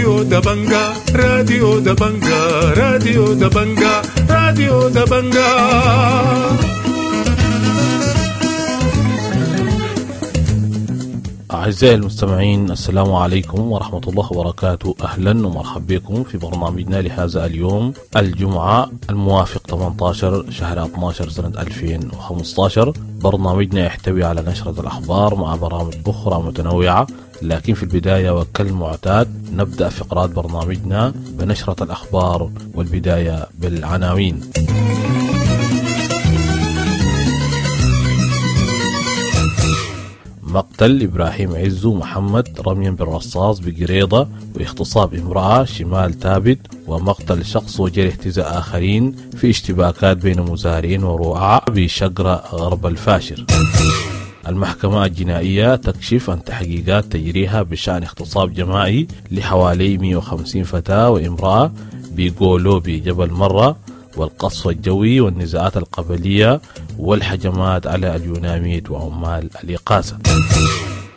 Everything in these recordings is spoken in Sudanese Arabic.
راديو دبنجا، راديو دبنجا، راديو دبنجا، راديو دبنجا. أعزائي المستمعين، السلام عليكم ورحمة الله وبركاته. أهلا ومرحبا بكم في برنامجنا لهذا اليوم الجمعة الموافق 18 شهر 12 سنة 2015. برنامجنا يحتوي على نشرة الأخبار مع برامج أخرى متنوعة، لكن في البداية وكالمعتاد نبدأ فقرات برنامجنا بنشرة الأخبار، والبداية بالعناوين. مقتل إبراهيم عزو محمد رميا بالرصاص بقريضة واغتصاب امرأة شمال تابت، ومقتل شخص وجرح 9 آخرين في اشتباكات بين مزارعين ورعاة بشقرة غرب الفاشر. المحكمة الجنائية تكشف عن تحقيقات تجريها بشأن اغتصاب جماعي لحوالي 150 فتاة وامرأة بيقولوا بجبل مرة، والقصف الجوي والنزاعات القبلية والحجمات على اليوناميد وعمال الإقاسة.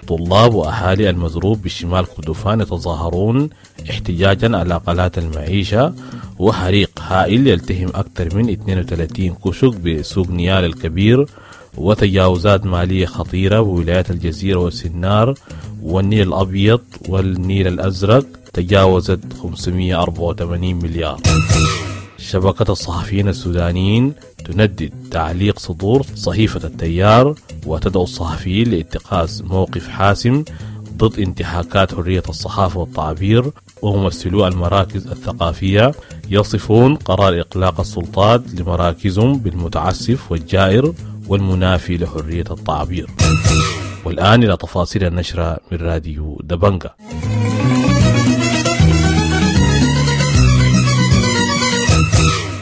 طلاب وأهالي المزروب بشمال كردفان يتظاهرون احتجاجا على قلات المعيشة، وحريق هائل يلتهم أكثر من 32 كشك بسوق نيال الكبير، وتجاوزات مالية خطيرة بولايات الجزيرة والسنار والنيل الأبيض والنيل الأزرق تجاوزت 584 مليار. شبكة الصحفيين السودانيين تندد تعليق صدور صحيفة التيار، وتدعو الصحفيين لاتخاذ موقف حاسم ضد انتهاكات حرية الصحافة والتعبير. وممثلو المراكز الثقافية يصفون قرار إغلاق السلطات لمراكزهم بالمتعسف والجائر والمنافي لحرية التعبير. والآن إلى تفاصيل النشرة من راديو دبنجا.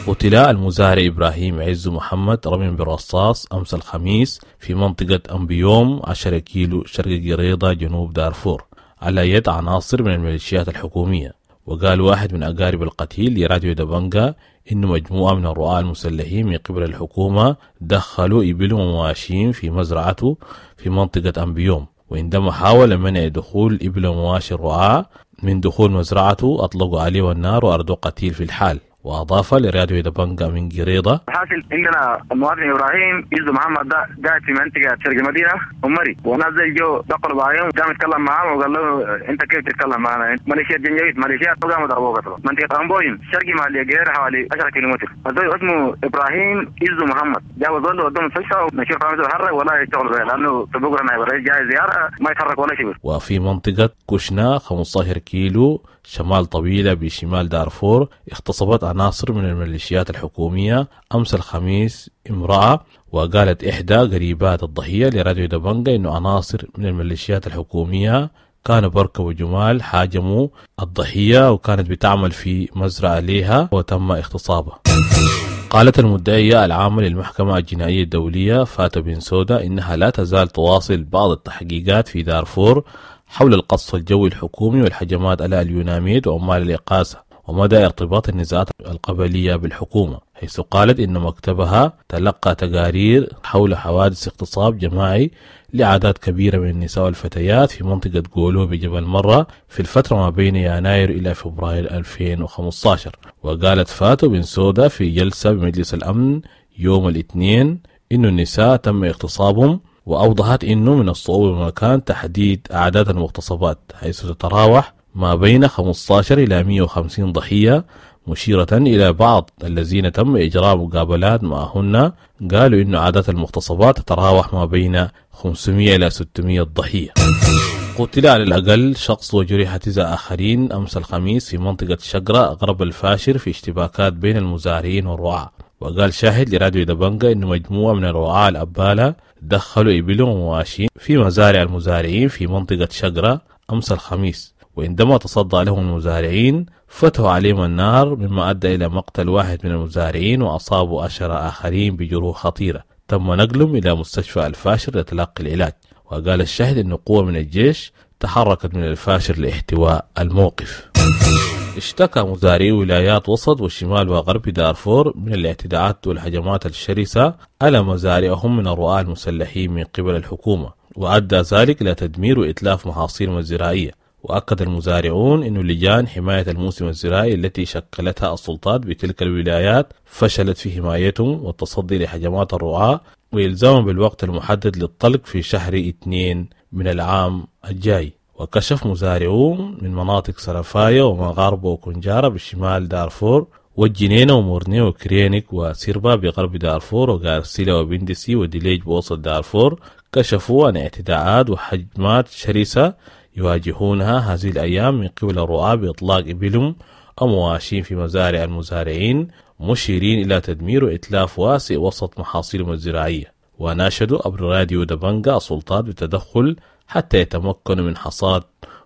قتل المزارع إبراهيم عزو محمد رميا بالرصاص أمس الخميس في منطقة أمبيوم 10 كيلو شرق قريضة جنوب دارفور على يد عناصر من الميليشيات الحكومية. وقال واحد من أقارب القتيل لراديو دبنجا إن مجموعة من الرعاة المسلحين من قبل الحكومة دخلوا إبل ومواشين في مزرعته في منطقة أمبيوم، وعندما حاول منع دخول إبل ومواشي الرعاة من دخول مزرعته أطلقوا عليه النار وأردوا قتيل في الحال. وأضاف لراديو دبنجا من قريضة: حاصل عندنا المواطن إبراهيم عزو محمد ده قاعد في منطقة شرق المدينة ومري، ونزل جو دخلوا بعيون، قام يتكلم معاه وقال له أنت كيف تتكلم معنا؟ ماليشيا جنجويد ماليشيا، وقام ضربوه قتلوا. منطقة أمبويم شرقي مع الجير حوالي 10 كيلومتر. الزول اسمه إبراهيم عزو محمد، جابوا زول ودوه المستشفى ونشوف عامل يتحرك ولا يشتغل به، لأنه بكرة نائب الرئيس جاي زيارة ما يتحرك ولا شيء. وفي منطقة كشنا 15 كيلو شمال طويلة بشمال دارفور اغتصبت عناصر من الميليشيات الحكومية أمس الخميس امرأة. وقالت إحدى قريبات الضحية لراديو دبنجا إنه عناصر من الميليشيات الحكومية كانوا بركبوا جمال هاجموا الضحية وكانت بتعمل في مزرعة ليها وتم اغتصابها. قالت المدعية العامة للمحكمة الجنائية الدولية فاتو بنسودا إنها لا تزال تواصل بعض التحقيقات في دارفور حول القصف الجوي الحكومي والهجمات على اليوناميد وعمال الإقاسة ومدى ارتباط النزاعات القبلية بالحكومة، حيث قالت إن مكتبها تلقى تقارير حول حوادث اغتصاب جماعي لأعداد كبيرة من النساء والفتيات في منطقة قولو بجبل مرة في الفترة ما بين يناير إلى فبراير 2015. وقالت فاتو بنسودا في جلسة بمجلس الأمن يوم الاثنين إن النساء تم اغتصابهم، وأوضحت إنه من الصعوبة بمكان تحديد أعداد المغتصبات، حيث تتراوح ما بين 15 إلى 150 ضحية، مشيرة إلى بعض الذين تم إجراء مقابلات معهن قالوا إن عادات المغتصبات تتراوح ما بين 500 إلى 600 ضحية. قتل على الأقل شخص وجرح 9 آخرين أمس الخميس في منطقة شقرة غرب الفاشر في اشتباكات بين المزارعين والرعاة. وقال شاهد لراديو دبنجا إن مجموعة من الرعاة الأبالة دخلوا إبلهم ومواشين في مزارع المزارعين في منطقة شقرة أمس الخميس، وعندما تصدى لهم المزارعين فتحوا عليهم النار، مما أدى إلى مقتل واحد من المزارعين وأصابوا 10 آخرين بجروح خطيرة تم نقلهم إلى مستشفى الفاشر لتلقي العلاج. وقال الشاهد أن قوة من الجيش تحركت من الفاشر لاحتواء الموقف. اشتكى مزارعي ولايات وسط والشمال وغرب دارفور من الاعتداءات والهجمات الشرسة على مزارعهم من الرعاة المسلحين من قبل الحكومة، وأدى ذلك إلى تدمير وإتلاف محاصيلهم الزراعية. وأكد المزارعون أن لجان حماية الموسم الزراعي التي شكلتها السلطات بتلك الولايات فشلت في حمايتهم والتصدي لهجمات الرعاة وإلزامهم بالوقت المحدد للطلق في شهر 2 من العام الجاي. وكشف مزارعون من مناطق سرفايا ومغاربة وكنجارة بشمال دارفور والجنينة ومورني وكرينيك وسيربا بغرب دارفور وغارسيلا وبندسي وديليج بوسط دارفور كشفوا عن اعتداءات وهجمات شرسة يواجهونها هذه الأيام من قبل الرعاة بإطلاق إبلهم أو مواشين في مزارع المزارعين، مشيرين إلى تدمير وإتلاف واسع وسط محاصيلهم الزراعية. وناشدوا عبر راديو دبنجا السلطات بالتدخل حتى يتمكنوا من حصاد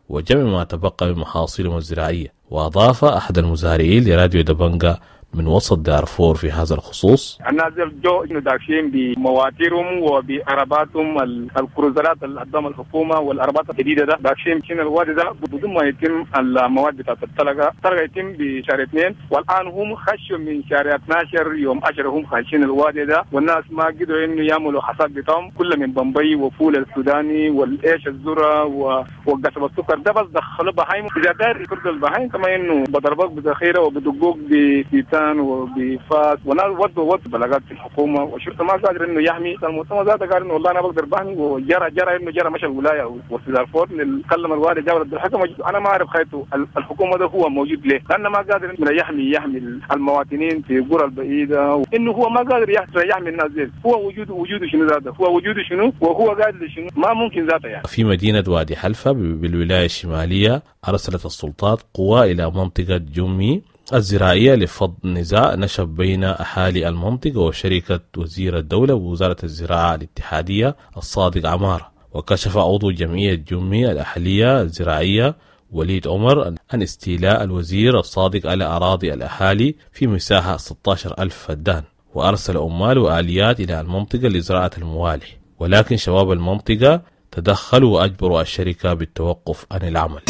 وجمع ما تبقى من محاصيلهم الزراعية. وأضاف أحد المزارعين لراديو دبنجا من وسط دارفور في هذا الخصوص: الناس جو داخلين بمواتيرهم وبعرباتهم الكروزرات اللي قدام الحكومة والعربات الجديدة ده داخلين شين الوادي ده بدون ما يتم المواد بتاعت الطلقة، الطلقة يتم بشهر 2، والان هم خشوا من شهر 12 يوم 10 هم خاشين الوادي ده، والناس ما قدروا انه يعملوا حصاد بتاعهم كله من بمبي وفول السوداني والايش الذرة وقصب السكر ده، بس دخلوا بهايم. اذا داير يطرد البهايم كما انه بضربوك بذخيره وبدقوك ببيتان وبفاس، وناس ودوا بلاغات في الحكومة والشرطة ما قادر انه يحمي المؤتمر ذاته، قال انه والله انا بقدر بحمي، وجرى جرى انه جرى مشى الولاية وفي دارفور كلم الوالي جاب الحكم. انا ما اعرف خيته الحكومة ده هو موجود ليه، لانه ما قادر انه يحمي المواطنين في القرى البعيدة، انه هو ما قادر يحمي الناس دي. هو وجوده شنو ذاته، هو وجوده شنو وهو قادر شنو، ما ممكن ذاته يعني. في مدينة وادي حلفه بالولايه الشمالية ارسلت السلطات قوى الى منطقة جمي الزراعية لفض نزاع نشب بين أهالي المنطقة وشركة وزير الدولة ووزارة الزراعة الاتحادية الصادق عمارة. وكشف عضو جمعية جمي الأهلية الزراعية وليد عمر عن استيلاء الوزير الصادق على أراضي الأهالي في مساحة 16,000 فدان، وأرسل عمال وآليات إلى المنطقة لزراعة الموالح، ولكن شباب المنطقة تدخلوا وأجبروا الشركة بالتوقف عن العمل.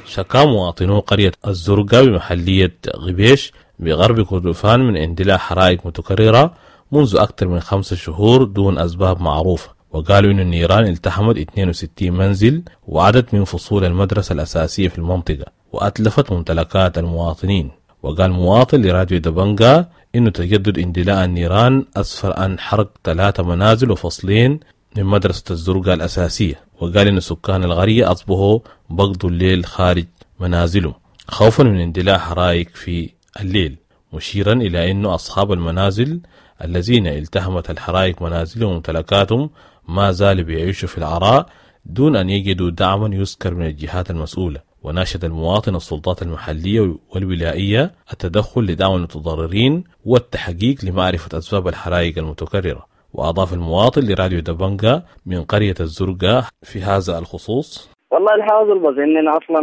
شكا مواطنو قرية الزرقاء بمحلية غبيش بغرب كردفان من اندلاع حرائق متكررة منذ أكثر من 5 شهور دون أسباب معروفة، وقالوا إن النيران التحمت 62 منزل وعدد من فصول المدرسة الأساسية في المنطقة وأتلفت ممتلكات المواطنين. وقال مواطن لراديو دبنجا إنه تجدد اندلاع النيران أسفر عن حرق 3 منازل وفصلين من مدرسة الزرقاء الأساسية، وقال إن سكان القرية أصبحوا بقضوا الليل خارج منازلهم خوفا من اندلاع حرائق في الليل، مشيرا إلى أن أصحاب المنازل الذين التهمت الحرائق منازلهم وممتلكاتهم ما زالوا بيعيشوا في العراء دون أن يجدوا دعما يذكر من الجهات المسؤولة. وناشد المواطن السلطات المحلية والولائية التدخل لدعم المتضررين والتحقيق لمعرفة أسباب الحرائق المتكررة. وأضاف المواطن لراديو دبنجا من قرية الزرقاء في هذا الخصوص: والله الحاصل بس اننا اصلا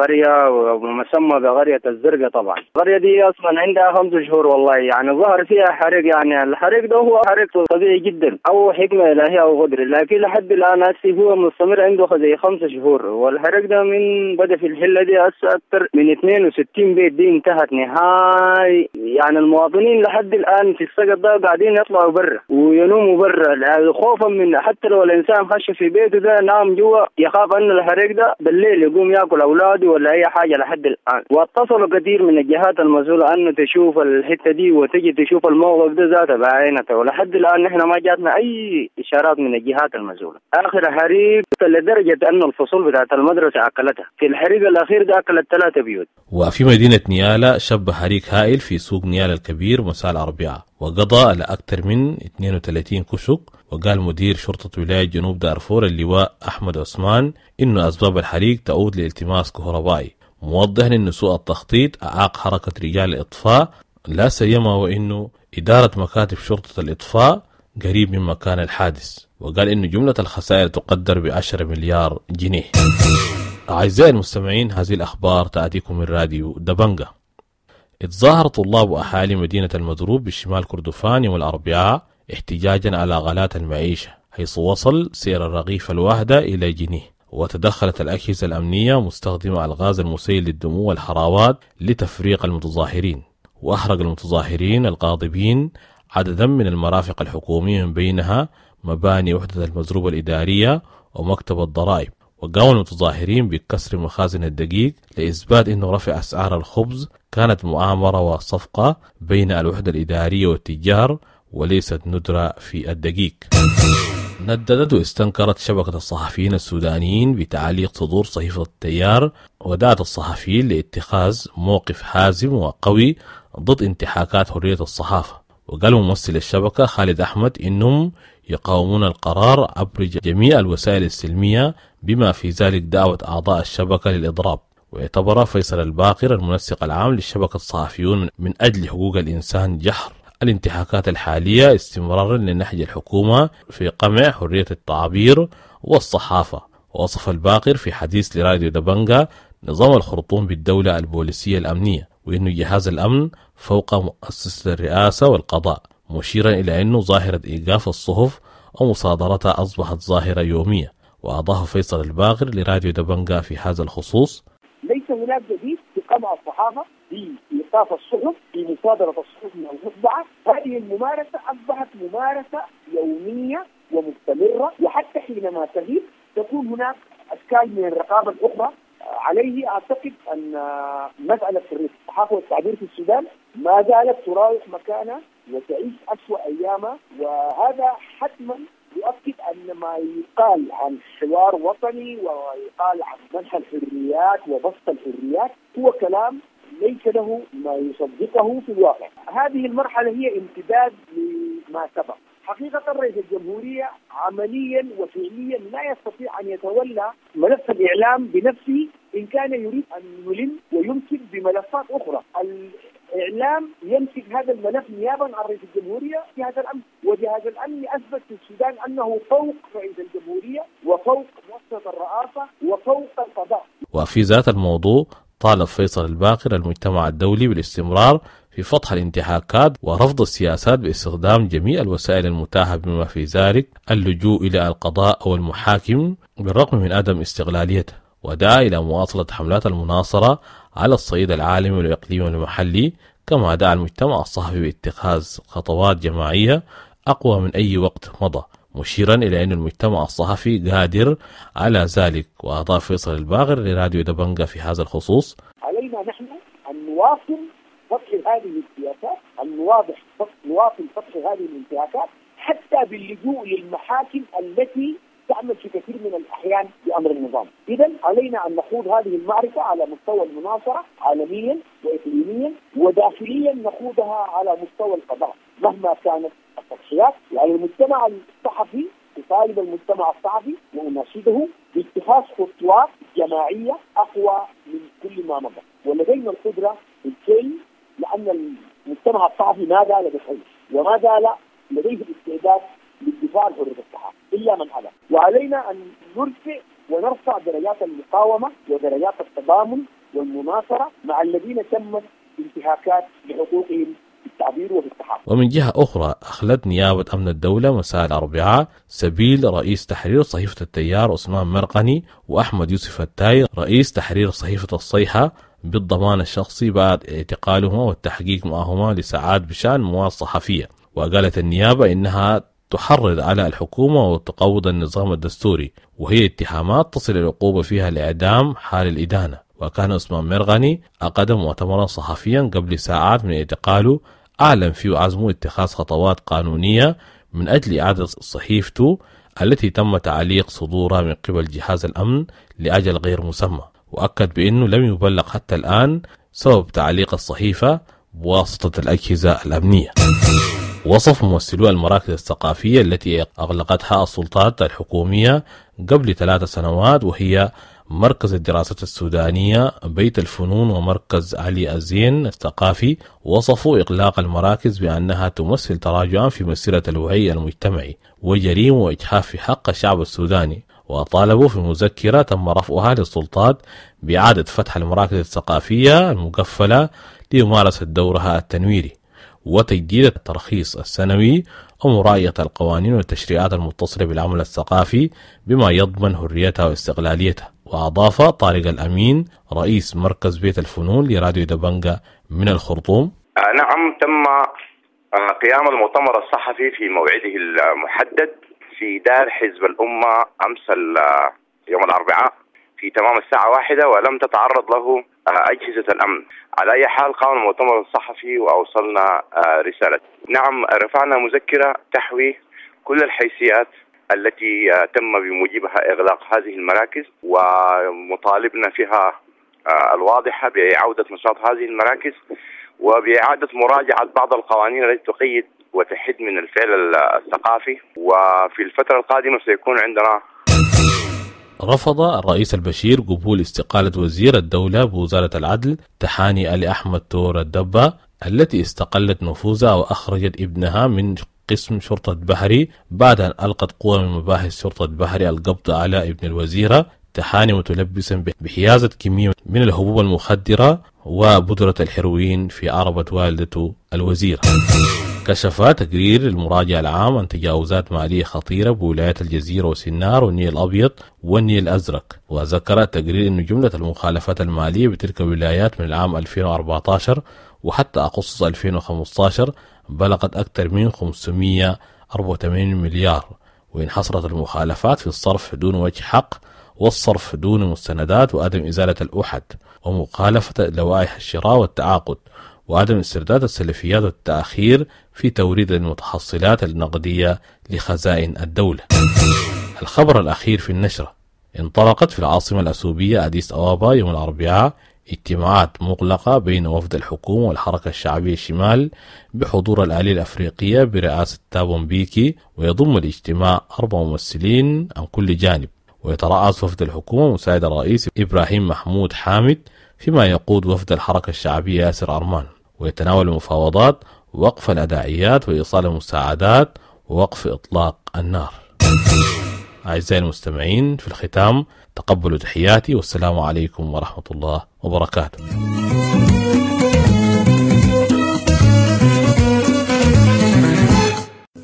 قرية ومسمى بقرية الزرقاء. طبعا القرية دي اصلا عندها 5 شهور والله، يعني ظهر فيها حريق، يعني الحريق ده هو حريق طبيعي جدا او حكمه الهيه او قدر، لكن لحد الان هسه هو مستمر عنده زي 5 شهور. والحريق ده من بدا في الحلة دي هسه اكثر من 62 بيت دي انتهت نهائي، يعني المواطنين لحد الان في السقط ده قاعدين يطلعوا برا وينوموا برا خوفا من حتى لو الانسان خش في بيته ده نام جوا يخاف ان الحريق ده بالليل يقوم ياكل اولاده ولا اي حاجة لحد الان. واتصلوا كثير من الجهات المسؤولة انه تشوف الحتة دي وتجي تشوف الموقف ده ذاته بعينته، ولحد الان نحن ما جاتنا اي اشارات من الجهات المسؤولة. اخر حريق لدرجة انه الفصول بتاعت المدرسة اكلتها، في الحريق الاخير ده اكلت 3 بيوت. وفي مدينة نيالا شب حريق هائل في سوق نيالا الكبير مساء الاربعاء وقضى على أكثر من 32 كشك. وقال مدير شرطة ولاية جنوب دارفور اللواء أحمد عثمان إنه أسباب الحريق تعود لالتماس كهربائي، موضحا إنه سوء التخطيط أعاق حركة رجال الإطفاء، لا سيما وإنه إدارة مكاتب شرطة الإطفاء قريب من مكان الحادث. وقال إنه جملة الخسائر تقدر ب10 مليار جنيه. أعزائي المستمعين، هذه الأخبار تأتيكم من راديو دبنجا. اتظاهر طلاب وأهالي مدينة المضروب بشمال كردفان يوم الأربعاء احتجاجا على غلاء المعيشة، حيث وصل سعر الرغيف الواحدة إلى جنيه. وتدخلت الأجهزة الأمنية مستخدمة الغاز المسيل للدموع والحراوات لتفريق المتظاهرين. وأحرق المتظاهرين الغاضبين عددا من المرافق الحكومية من بينها مباني وحدة المزروب الإدارية ومكتب الضرائب. وقام المتظاهرين بكسر مخازن الدقيق لإثبات أنه رفع أسعار الخبز كانت مؤامرة وصفقة بين الوحدة الإدارية والتجار وليست ندرة في الدقيق. نددت واستنكرت شبكة الصحفيين السودانيين بتعليق صدور صحيفة التيار، ودعت الصحفيين لاتخاذ موقف حازم وقوي ضد انتهاكات حرية الصحافة. وقال ممثل الشبكة خالد أحمد إنهم يقاومون القرار عبر جميع الوسائل السلمية بما في ذلك دعوة أعضاء الشبكة للإضراب. واعتبر فيصل الباقر المنسق العام للشبكة الصحفيون من أجل حقوق الإنسان جحر الانتهاكات الحالية استمرارا لنهج الحكومة في قمع حرية التعبير والصحافة. ووصف الباقر في حديث لراديو دبنجا نظام الخرطوم بالدولة البوليسية الأمنية، وإنه جهاز الأمن فوق مؤسسة الرئاسة والقضاء، مشيرا إلى أنه ظاهرة إيقاف الصحف ومصادرتها أصبحت ظاهرة يومية. وأضاف فيصل الباقر لراديو دبنجا في هذا الخصوص: ليس هناك جديد في قمع الصحافة، في إيقاف الصحف، في مصادرة الصحف من المطبعة. هذه الممارسة أصبحت ممارسة يومية ومستمرة، وحتى حينما تغيب تكون هناك أشكال من الرقابة الأخرى. عليه أعتقد أن مسألة حرية الصحافة والتعبير في السودان ما زالت تراوح مكانها وتعيش أسوأ أيامها، وهذا حتما يؤكد أن ما يقال عن حوار وطني ويقال عن منح الحريات وبسط الحريات هو كلام ليس له ما يصدقه في الواقع. هذه المرحلة هي امتداد لما سبق. حقيقة رئيس الجمهورية عمليا وفعليا لا يستطيع أن يتولى ملف الإعلام بنفسه إن كان يريد أن يلم ويمسك بملفات أخرى. الإعلام يمسك هذا الملف نيابا عن رئيس الجمهورية جهاز الأمن، وجهاز الأمن أثبت في السودان أنه فوق رئيس الجمهورية وفوق مؤسسة الرئاسة وفوق القضاء. وفي ذات الموضوع طالب فيصل الباقر المجتمع الدولي بالاستمرار في فضح الانتهاكات ورفض السياسات باستخدام جميع الوسائل المتاحة بما في ذلك اللجوء إلى القضاء أو المحاكم بالرغم من عدم استغلاليته، ودعا إلى مواصلة حملات المناصرة على الصعيد العالمي والإقليمي والمحلي، كما دعا المجتمع الصحفي باتخاذ خطوات جماعية أقوى من أي وقت مضى، مشيرا إلى أن المجتمع الصحفي قادر على ذلك. وأضاف فيصل الباقر لراديو دبنجا في هذا الخصوص: علينا نحن أن نواصل فتح هذه السياسات، أن نواصل فتح هذه الانتهاكات حتى باللجوء للمحاكم التي تعمل في كثير من الأحيان بأمر النظام. إذن علينا أن نخوض هذه المعركة على مستوى المناصرة عالميا وإقليميا وداخليا، نخوضها على مستوى القضاء مهما كانت التضحيات. وعلى المجتمع الصحفي، أطالب المجتمع الصحفي وأناشده باتخاذ خطوات جماعية أقوى من كل ما مضى، ولدينا القدرة بالفعل، لأن المجتمع الصحفي ما زال بخير وما زال لديه الاستعداد للدفاع عن حرية الصحافة إلا من أبى. وعلينا أن نرفع ونرفع درجات المقاومة ودرجات التضامن والمناصرة مع الذين تمت انتهاكات لحقوقهم في التعبير وفي الصحافة. ومن جهة أخرى أخلت نيابة أمن الدولة مساء الأربعاء سبيل رئيس تحرير صحيفة التيار عثمان مرقني وأحمد يوسف التاي رئيس تحرير صحيفة الصيحة بالضمان الشخصي بعد اعتقالهما والتحقيق معهما لساعات بشأن مواد صحفية. وقالت النيابة إنها تحرض على الحكومة وتقوض النظام الدستوري، وهي اتهامات تصل العقوبة فيها الإعدام حال الإدانة. وكان عثمان مرغني أقدم مؤتمرا صحفيا قبل ساعات من اعتقاله أعلن فيه عزمه اتخاذ خطوات قانونية من أجل إعادة صحيفته التي تم تعليق صدورها من قبل جهاز الأمن لأجل غير مسمى. وأكد بأنه لم يبلغ حتى الآن سبب تعليق الصحيفة بواسطة الأجهزة الأمنية. وصف ممثلو المراكز الثقافية التي أغلقتها السلطات الحكومية قبل 3 سنوات، وهي مركز الدراسات السودانية، بيت الفنون، ومركز علي الزين الثقافي، وصفوا إغلاق المراكز بأنها تمثل تراجعا في مسيرة الوعي المجتمعي وجريمة وإجحاف في حق الشعب السوداني. وطالبوا في مذكرة تم رفعها للسلطات بإعادة فتح المراكز الثقافية المقفلة لممارسة دورها التنويري وتجديد الترخيص السنوي ومراعية القوانين والتشريعات المتصلة بالعمل الثقافي بما يضمن حريتها واستقلاليتها. وأضاف طارق الأمين رئيس مركز بيت الفنون لراديو دبنجا من الخرطوم: نعم، تم قيام المؤتمر الصحفي في موعده المحدد في دار حزب الأمة أمس يوم الأربعاء في تمام الساعة 1، ولم تتعرض له أجهزة الأمن. على أي حال قام المؤتمر الصحفي وأوصلنا رسالة. نعم، رفعنا مذكرة تحوي كل الحيثيات التي تم بموجبها إغلاق هذه المراكز، ومطالبنا فيها الواضحة بعودة نشاط هذه المراكز وبإعادة مراجعة بعض القوانين التي تقيد وتحد من الفعل الثقافي. وفي الفترة القادمة سيكون عندنا. رفض الرئيس البشير قبول استقالة وزير الدولة بوزارة العدل تحاني آل أحمد تور الدبة التي استقلت نفوذها وأخرجت ابنها من قسم شرطة بحري بعد أن ألقت قوة من مباحث شرطة بحري القبض على ابن الوزيرة تحاني متلبسا بحيازة كمية من الحبوب المخدرة وبودرة الهيروين في عربة والدته الوزيرة. كشف تقرير المراجع العام عن تجاوزات مالية خطيرة بولايات الجزيرة وسنار والنيل الأبيض والنيل الأزرق، وذكر التقرير أن جملة المخالفات المالية بتلك الولايات من العام 2014 وحتى أغسطس 2015 بلغت أكثر من 584 مليار، وانحصرت المخالفات في الصرف دون وجه حق والصرف دون مستندات وعدم إزالة الأحد ومخالفة لوائح الشراء والتعاقد وعدم استرداد السلفيات والتأخير في توريد المتحصلات النقدية لخزائن الدولة. الخبر الأخير في النشرة: انطلقت في العاصمة الأثيوبية أديس أبابا يوم الأربعاء اجتماعات مغلقة بين وفد الحكومة والحركة الشعبية الشمال بحضور الآلية الأفريقية برئاسة تابون بيكي، ويضم الاجتماع 4 ممثلين عن كل جانب، ويترأس وفد الحكومة مساعد الرئيس إبراهيم محمود حامد، فيما يقود وفد الحركة الشعبية ياسر أرمان. ويتناول المفاوضات وقف الأداعيات وإيصال المساعدات ووقف إطلاق النار. أعزائي المستمعين، في الختام تقبلوا تحياتي، والسلام عليكم ورحمة الله وبركاته.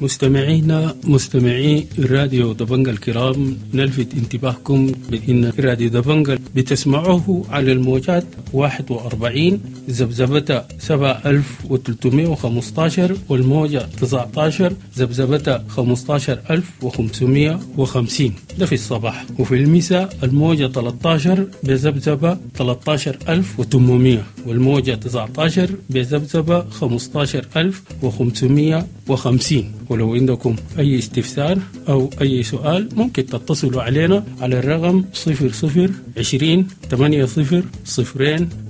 مستمعينا مستمعي راديو دبنجا الكرام، نلفت انتباهكم بأن راديو دبنجا بتسمعوه على الموجات 41 ذبذبة 7315 والموجة 19 ذبذبة 15550، ده في الصباح، وفي المساء الموجة 13 بذبذبة 13800 والموجة 19 بذبذبة 15550. ولو عندكم أي استفسار أو أي سؤال ممكن تتصلوا علينا على الرقم 00 20 80 0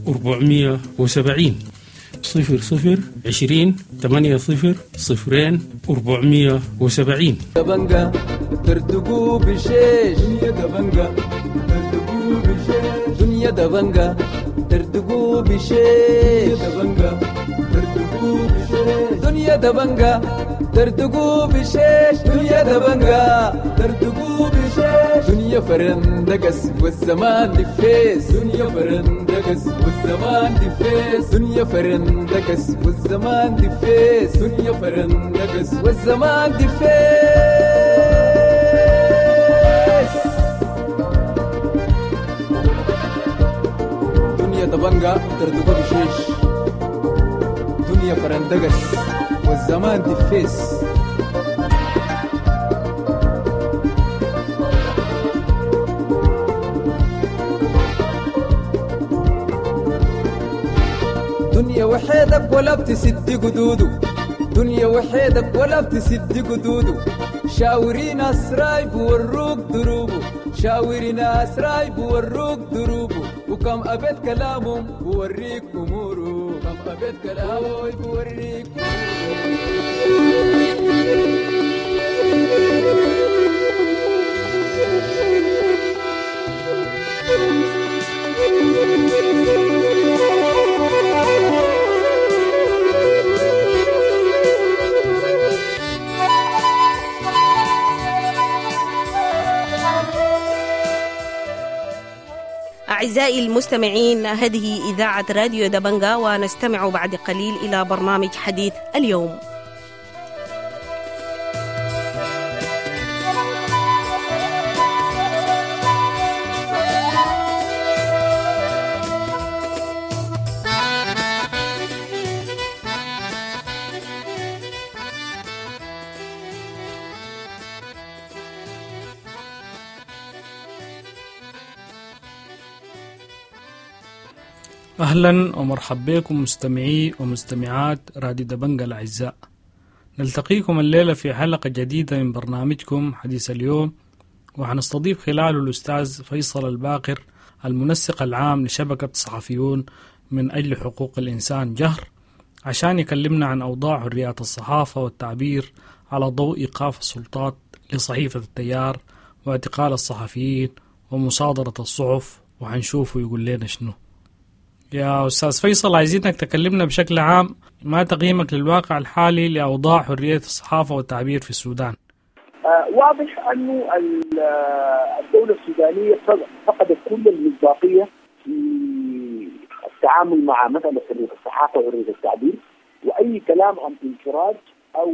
470، 00 20 80 0 470. دبنجا ترتقوا بشيش، دنيا دبنجا ترتقوا بشيش، دنيا دبنجا ترتقوا بشيش، دبنجا ترتقوا بشيش، دنيا دبنجا ترتقوا بشيش، دنيا دبنجا ترتقوا بشيش، دنيا فرندقس والزمان دفيس، دنيا فرندقس والزمان دفيس، دنيا فرندقس والزمان دفيس، دنيا فرندقس والزمان دفيس. دنيا دبنجا ترتقوا بشيش، دنيا فرندقس والزمان دفيس. دنيا وحيدك ولا بتسد قدوده، دنيا وحيدك ولا بتسد قدوده، شاوري ناس رايب وروك دروبه، شاوري ناس رايب وروك دروبه، وكم أبيت كلامهم بوريك أموره، كم أبيت كلامه بوريك. أعزائي المستمعين، هذه إذاعة راديو دبنجا، ونستمع بعد قليل إلى برنامج حديث اليوم. أهلا ومرحبا بكم مستمعي ومستمعات راديو دبنجا الأعزاء. نلتقيكم الليلة في حلقة جديدة من برنامجكم حديث اليوم، وحنستضيف خلاله الأستاذ فيصل الباقر المنسق العام لشبكة صحفيون من أجل حقوق الإنسان جهر، عشان يكلمنا عن أوضاع حريات الصحافة والتعبير على ضوء إيقاف السلطات لصحيفة التيار واعتقال الصحفيين ومصادرة الصحف، وحنشوفه يقول لنا شنو. يا أستاذ فيصل، عايزينك تكلمنا بشكل عام ما تقييمك للواقع الحالي لأوضاع حرية الصحافة والتعبير في السودان؟ واضح أنه الدولة السودانية فقدت كل المصداقية في التعامل مع مسألة حرية الصحافة وحرية التعبير، وأي كلام عن انفراج أو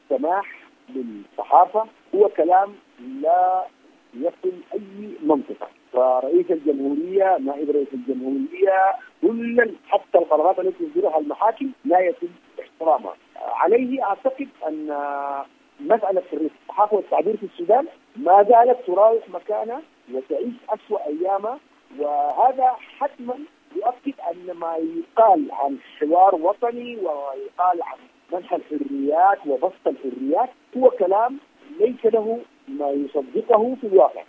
سماح للصحافة هو كلام لا يصل أي منطقة. فرئيس الجمهورية، نائب رئيس الجمهورية، كل حتى القرارات التي تصدرها المحاكم لا يتم احترامها. عليه أعتقد أن مسألة حرية الصحافة والتعبير في السودان ما زالت تراوح مكانها وتعيش أسوأ أيامها، وهذا حتما يؤكد أن ما يقال عن حوار وطني ويقال عن منح الحريات وبسط الحريات هو كلام ليس له ما يصدقه في الواقع.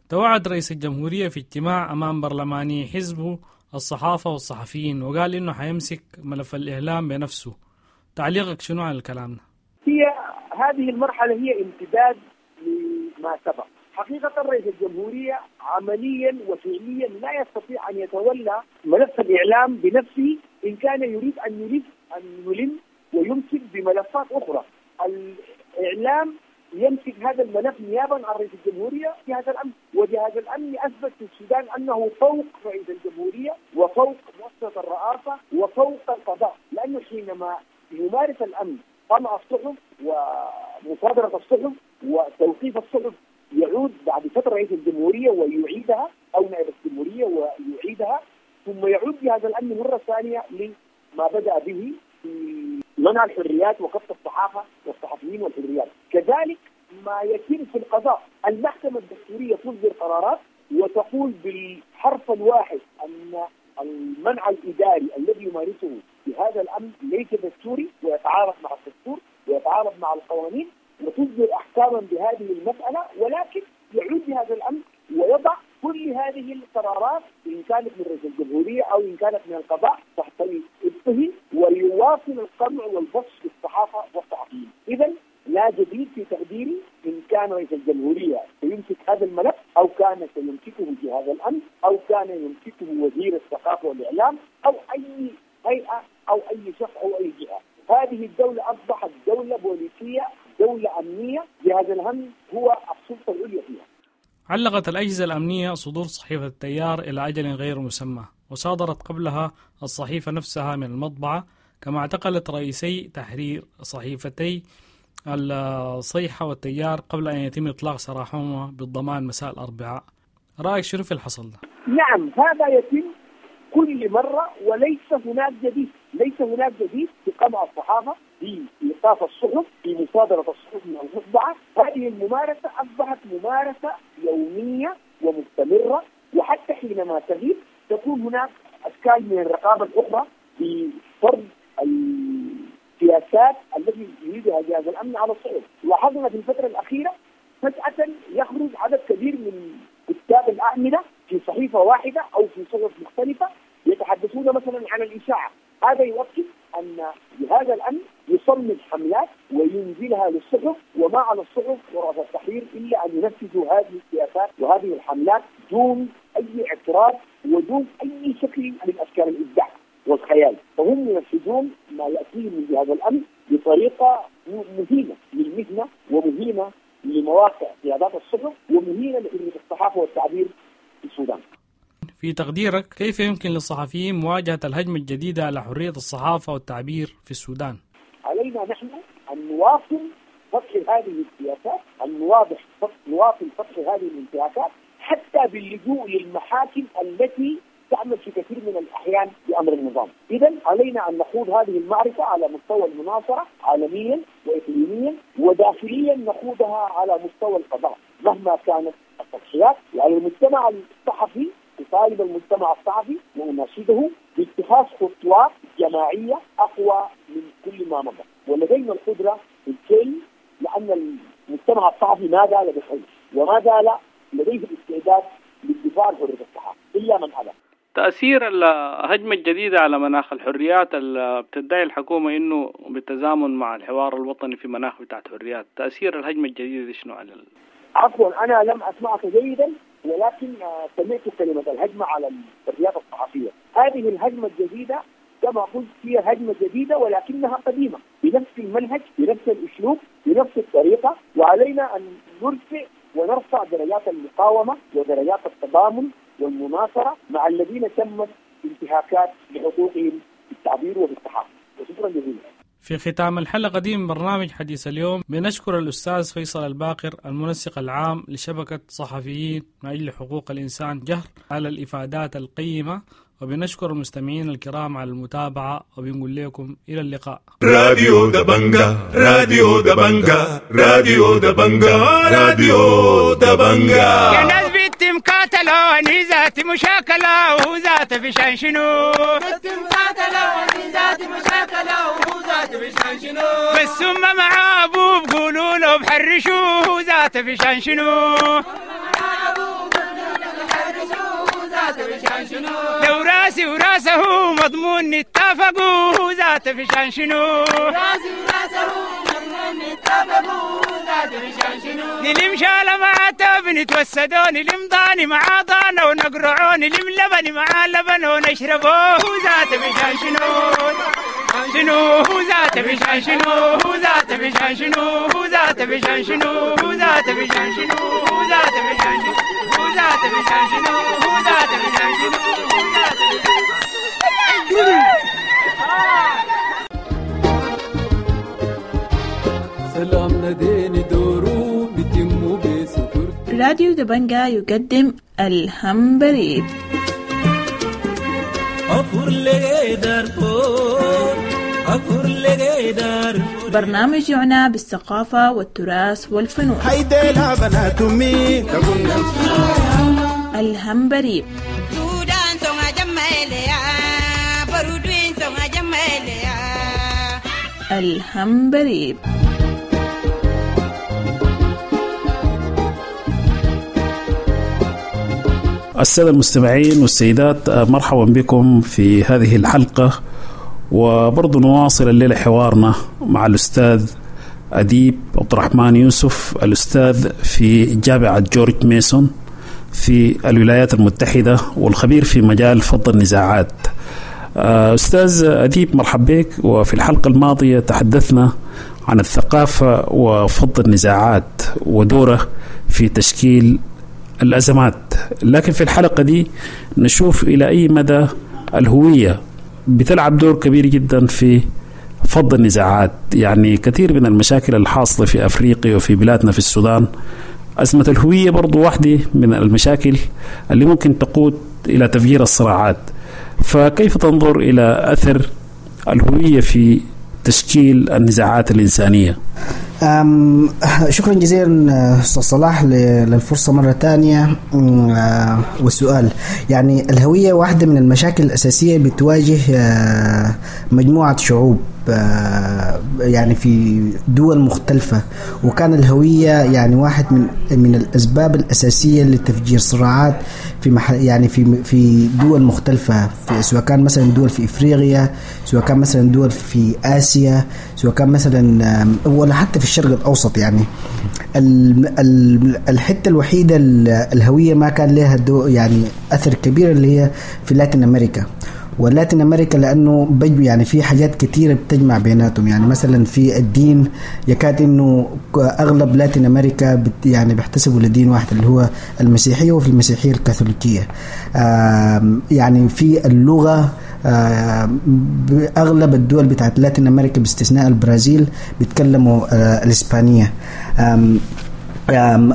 توعد رئيس الجمهورية في اجتماع أمام برلماني حزبه الصحافة والصحفيين وقال إنه حيمسك ملف الإعلام بنفسه. تعليقك شنو على الكلام ده؟ هي هذه المرحلة هي امتداد لما سبق. حقيقة رئيس الجمهورية عمليا وفعليا لا يستطيع أن يتولى ملف الإعلام بنفسه إن كان يريد أن يلم ويمسك بملفات أخرى. الإعلام يمسك هذا الملف نيابا عن رئيس الجمهورية جهاز الأمن، وجهاز الأمن أثبت في السودان أنه فوق رئيس الجمهورية وفوق مؤسسة الرئاسة وفوق القضاء، لأنه حينما يمارس الأمن قمع الصحف ومصادرة الصحف وتوقيف الصحف يعود بعد فترة رئيس الجمهورية ويعيدها أو نائب الجمهورية ويعيدها، ثم يعود جهاز الأمن مرة ثانية لما بدأ به في منع الحريات وكف الصحافة والصحفيين والحريات. كذلك ما يتم في القضاء، المحكمة الدستورية تصدر قرارات وتقول بالحرف الواحد أن المنع الإداري الذي يمارسه بهذا الأمن ليس دستوري ويتعارض مع الدستور ويتعارض مع القوانين، وتصدر أحكاما بهذه المسألة، ولكن يعود بهذا الأمن ويضع كل هذه القرارات إن كانت من رئيس الجمهورية أو إن كانت من القضاء تحت إبطه، ويواصل القمع والبطش للصحافة والصحفيين. إذا لا جديد في تقديري إن كان رئيس الجمهورية سيمسك هذا الملف أو كان سيمسكه جهاز الأمن أو كان يمسكه وزير الثقافة والإعلام أو أي هيئة أو أي شخص أو أي جهة. هذه الدولة أصبحت دولة بوليسية، دولة أمنية، جهاز الأمن هو السلطة العليا فيها. علقت الأجهزة الأمنية صدور صحيفة التيار إلى أجل غير مسمى، وصادرت قبلها الصحيفة نفسها من المطبعة، كما اعتقلت رئيسي تحرير صحيفتي الصيحة والتيار قبل أن يتم إطلاق سراحهما بالضمان مساء الأربعاء. رأيك شنو في الحصل ده؟ نعم، هذا يتم كل مرة وليس هناك جديد. ليس هناك جديد في قمع الصحافة، في إيقاف الصحف، في مصادرة الصحف من المطبعة. هذه الممارسة أصبحت ممارسة يومية ومستمرة، وحتى حينما تغيب تكون هناك أشكال من الرقابة الأخرى في فرض السياسات التي يريدها جهاز الأمن على الصحف. لاحظنا في الفترة الأخيرة فجأة يخرج عدد كبير من كتاب الأعمدة في صحيفة واحدة أو في صحف مختلفة يتحدثون مثلا عن الإشاعة. هذا يؤكد أن جهاز الأمن يصمم حملات وينزلها للصحف، وما على الصحف ورؤساء التحرير إلا أن ينفذوا هذه السياسات وهذه الحملات دون أي اعتراض ودون أي شكل من أشكال الإبداع والخيال. فهم ينفذون ما يأتيهم من جهاز الأمن بطريقة مهينة للمهنة ومهينة لمواقع قيادات الصحف ومهينة لحرية الصحافة والتعبير في السودان. في تقديرك كيف يمكن للصحفيين مواجهة الهجمة الجديدة على حرية الصحافة والتعبير في السودان؟ علينا نحن أن نواصل فتح هذه السياسات، أن نواصل فتح هذه الانتهاكات حتى باللجوء للمحاكم التي تعمل في كثير من الأحيان بأمر النظام. إذن علينا أن نخوض هذه المعركة على مستوى المناصرة عالميا وإقليميا وداخليا، نخوضها على مستوى القضاء مهما كانت التضحيات. وعلى المجتمع الصحفي أطالب المجتمع الصحفي وأناشده باتخاذ خطوات جماعية أقوى من كل ما مضى، ولدينا القدرة بالكي، لأن المجتمع الصحفي ما زال بخير وما زال لديه الاستعداد للدفاع عن حرية الصحافة إلا من أبى. تأثير الهجمة الجديدة على مناخ الحريات اللي بتدعي الحكومة إنه بالتزامن مع الحوار الوطني في مناخ بتاعت حريات، تأثير الهجمة الجديدة دي شنو على عفوا أنا لم أسمعك جيدا، ولكن سمعت كلمة الهجمة على الحريات الصحفية. هذه الهجمة الجديدة كما قلت هي هجمة جديدة ولكنها قديمة، بنفس المنهج، بنفس الأسلوب، بنفس الطريقة، وعلينا أن نرفع ونرفع درجات المقاومة ودرجات التضامن والمناصرة مع الذين تمت انتهاكات لحقوقهم بالتعبير وبالصحافة. وشكرا جزيلا. في ختام الحلقة دي من برنامج حديث اليوم بنشكر الأستاذ فيصل الباقر المنسق العام لشبكة صحفيين من أجل حقوق الإنسان جهر على الإفادات القيمة، وبنشكر المستمعين الكرام على المتابعة، وبنقول لكم إلى اللقاء. راديو دبنجا، راديو دبنجا، راديو دبنجا، راديو دبنجا. يا ناس بنت مقاتلة ذات مشاكلة وذات فشان شنو، بنت مقاتلة ذات مشاكلة وذات فشان شنو، بس ثم مع أبوه بقولوا له بحرشوه ذات فشان شنو، لو راسي وراسه مضمون نتفقوا ذات فشان شنو، راسي وراسه مضمون نتفقوا ذات فشان شنو، نلم شالة مع تاب نتوسدوا، نلم ضاني مع ضانا ونقرعوا، نلم لبن مع لبن ونشربوه ذات فشان شنو، شنو ذات فشان شنو، ذات فشان شنو، ذات فشان شنو، ذات فشان شنو، ذات فشان شنو، ذات فشان شنو، ذات فشان شنو، ذات سلامنا ديني دورو بتمو بسكر. راديو دبنجا يقدم الهمبريب. برنامج يعنى بالثقافة والتراث والفنون. الهمبريب. الهمبريب. السادة المستمعين والسيدات، مرحبا بكم في هذه الحلقة، وبرضو نواصل الليلة حوارنا مع الأستاذ أديب عبد الرحمن يوسف، الأستاذ في جامعة جورج ميسون في الولايات المتحدة والخبير في مجال فض النزاعات. أستاذ أديب مرحبا بك. وفي الحلقة الماضية تحدثنا عن الثقافة وفض النزاعات ودوره في تشكيل الأزمات، لكن في الحلقة دي نشوف إلى أي مدى الهوية بتلعب دور كبير جدا في فض النزاعات. يعني كثير من المشاكل الحاصلة في أفريقيا وفي بلادنا في السودان، أزمة الهوية برضو واحدة من المشاكل اللي ممكن تقود إلى تفجير الصراعات. فكيف تنظر إلى أثر الهوية في تشكيل النزاعات الإنسانية؟ شكرا جزيلا أستاذ صلاح للفرصة مرة ثانية والسؤال. يعني الهوية واحدة من المشاكل الأساسية بتواجه مجموعة شعوب يعني في دول مختلفة، وكان الهوية يعني واحد من الأسباب الأساسية لتفجير صراعات في يعني في دول مختلفة، في سواء كان مثلا دول في إفريقيا، سواء كان مثلا دول في آسيا، سواء كان مثلا ولا حتى في الشرق الأوسط. يعني الحتة الوحيدة الهوية ما كان لها يعني أثر كبير اللي هي في لاتين أمريكا. ولاتين أمريكا لأنه يعني في حاجات كتيرة بتجمع بيناتهم، يعني مثلا في الدين يكاد إنه أغلب لاتين أمريكا يعني بيحتسبوا لدين واحد اللي هو المسيحية، وفي المسيحية الكاثوليكية. يعني في اللغة أغلب الدول بتاعت لاتين أمريكا باستثناء البرازيل بيتكلموا الإسبانية.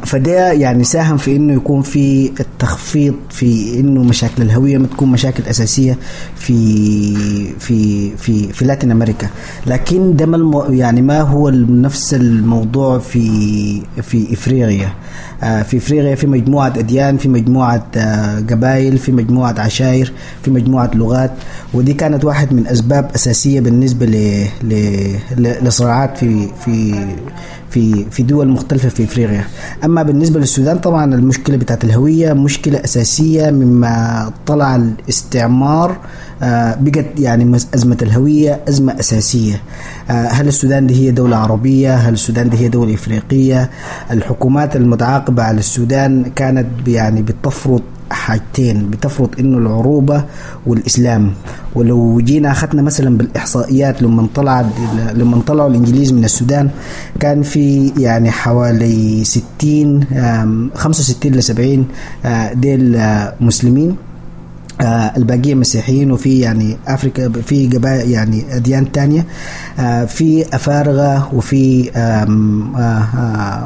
فده يعني ساهم في انه يكون في التخفيض في انه مشاكل الهوية ما تكون مشاكل اساسية في في في في لاتين امريكا. لكن ده يعني ما هو نفس الموضوع في في افريقيا. في افريقيا في مجموعة اديان، في مجموعة قبائل، في مجموعة عشائر، في مجموعة لغات، ودي كانت واحد من اسباب اساسية بالنسبة لصراعات في في في في دول مختلفة في افريقيا. اما بالنسبة للسودان طبعا المشكلة بتاعت الهوية مشكلة اساسية مما طلع الاستعمار. بقت يعني ازمة الهوية ازمة اساسية. هل السودان دي هي دولة عربية؟ هل السودان دي هي دولة افريقية؟ الحكومات المتعاقبة على السودان كانت يعني بتفرض حاجتين، بتفرض انه العروبة والاسلام. ولو جينا اخذنا مثلا بالاحصائيات لما طلعوا الانجليز من السودان كان في يعني حوالي 65 ل 70 ديل مسلمين، الباقية مسيحيين، وفي يعني أفريقيا في قبائل يعني أديان تانية، في أفارقة، وفي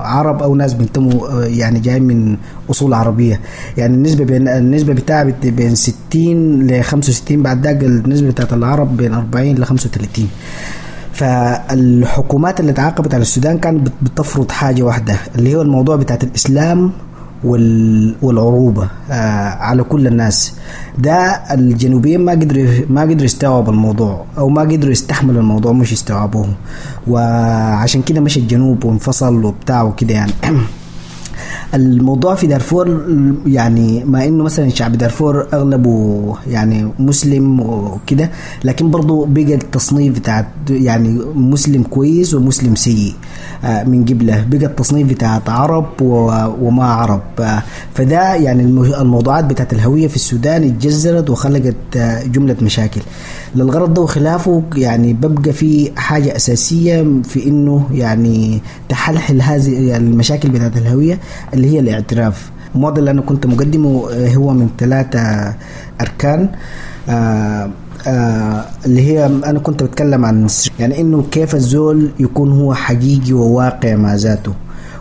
عرب أو ناس بينتموا يعني جايين من أصول عربية. يعني النسبة بتاع بين 60 ل 65، بعد ذاك النسبة بتاعت العرب بين 40 ل 35. فالحكومات اللي تعاقبت على السودان كانت بتفرض حاجة واحدة اللي هو الموضوع بتاعت الإسلام والعروبة على كل الناس. ده الجنوبيين ما قدروا يستوعبوا الموضوع، أو ما قدروا يستحملوا الموضوع، مش يستوعبوه، وعشان كده مشى الجنوب وانفصل وبتاع وكده. يعني الموضوع في دارفور يعني ما انه مثلا شعب دارفور اغلبه يعني مسلم وكده، لكن برضو بقى التصنيف بتاع يعني مسلم كويس ومسلم سيء من قبله، بقى التصنيف بتاع عرب وما عرب. فده يعني الموضوعات بتاعت الهوية في السودان اتجذرت وخلقت جملة مشاكل للغرض ده وخلافه. يعني ببقى في حاجة أساسية في إنه يعني تحلحل هذه المشاكل بتاعت الهوية اللي هي الاعتراف. الموديل اللي أنا كنت مقدمه هو من 3 أركان، اللي هي أنا كنت بتكلم عن يعني إنه كيف الزول يكون هو حقيقي وواقع مع ذاته،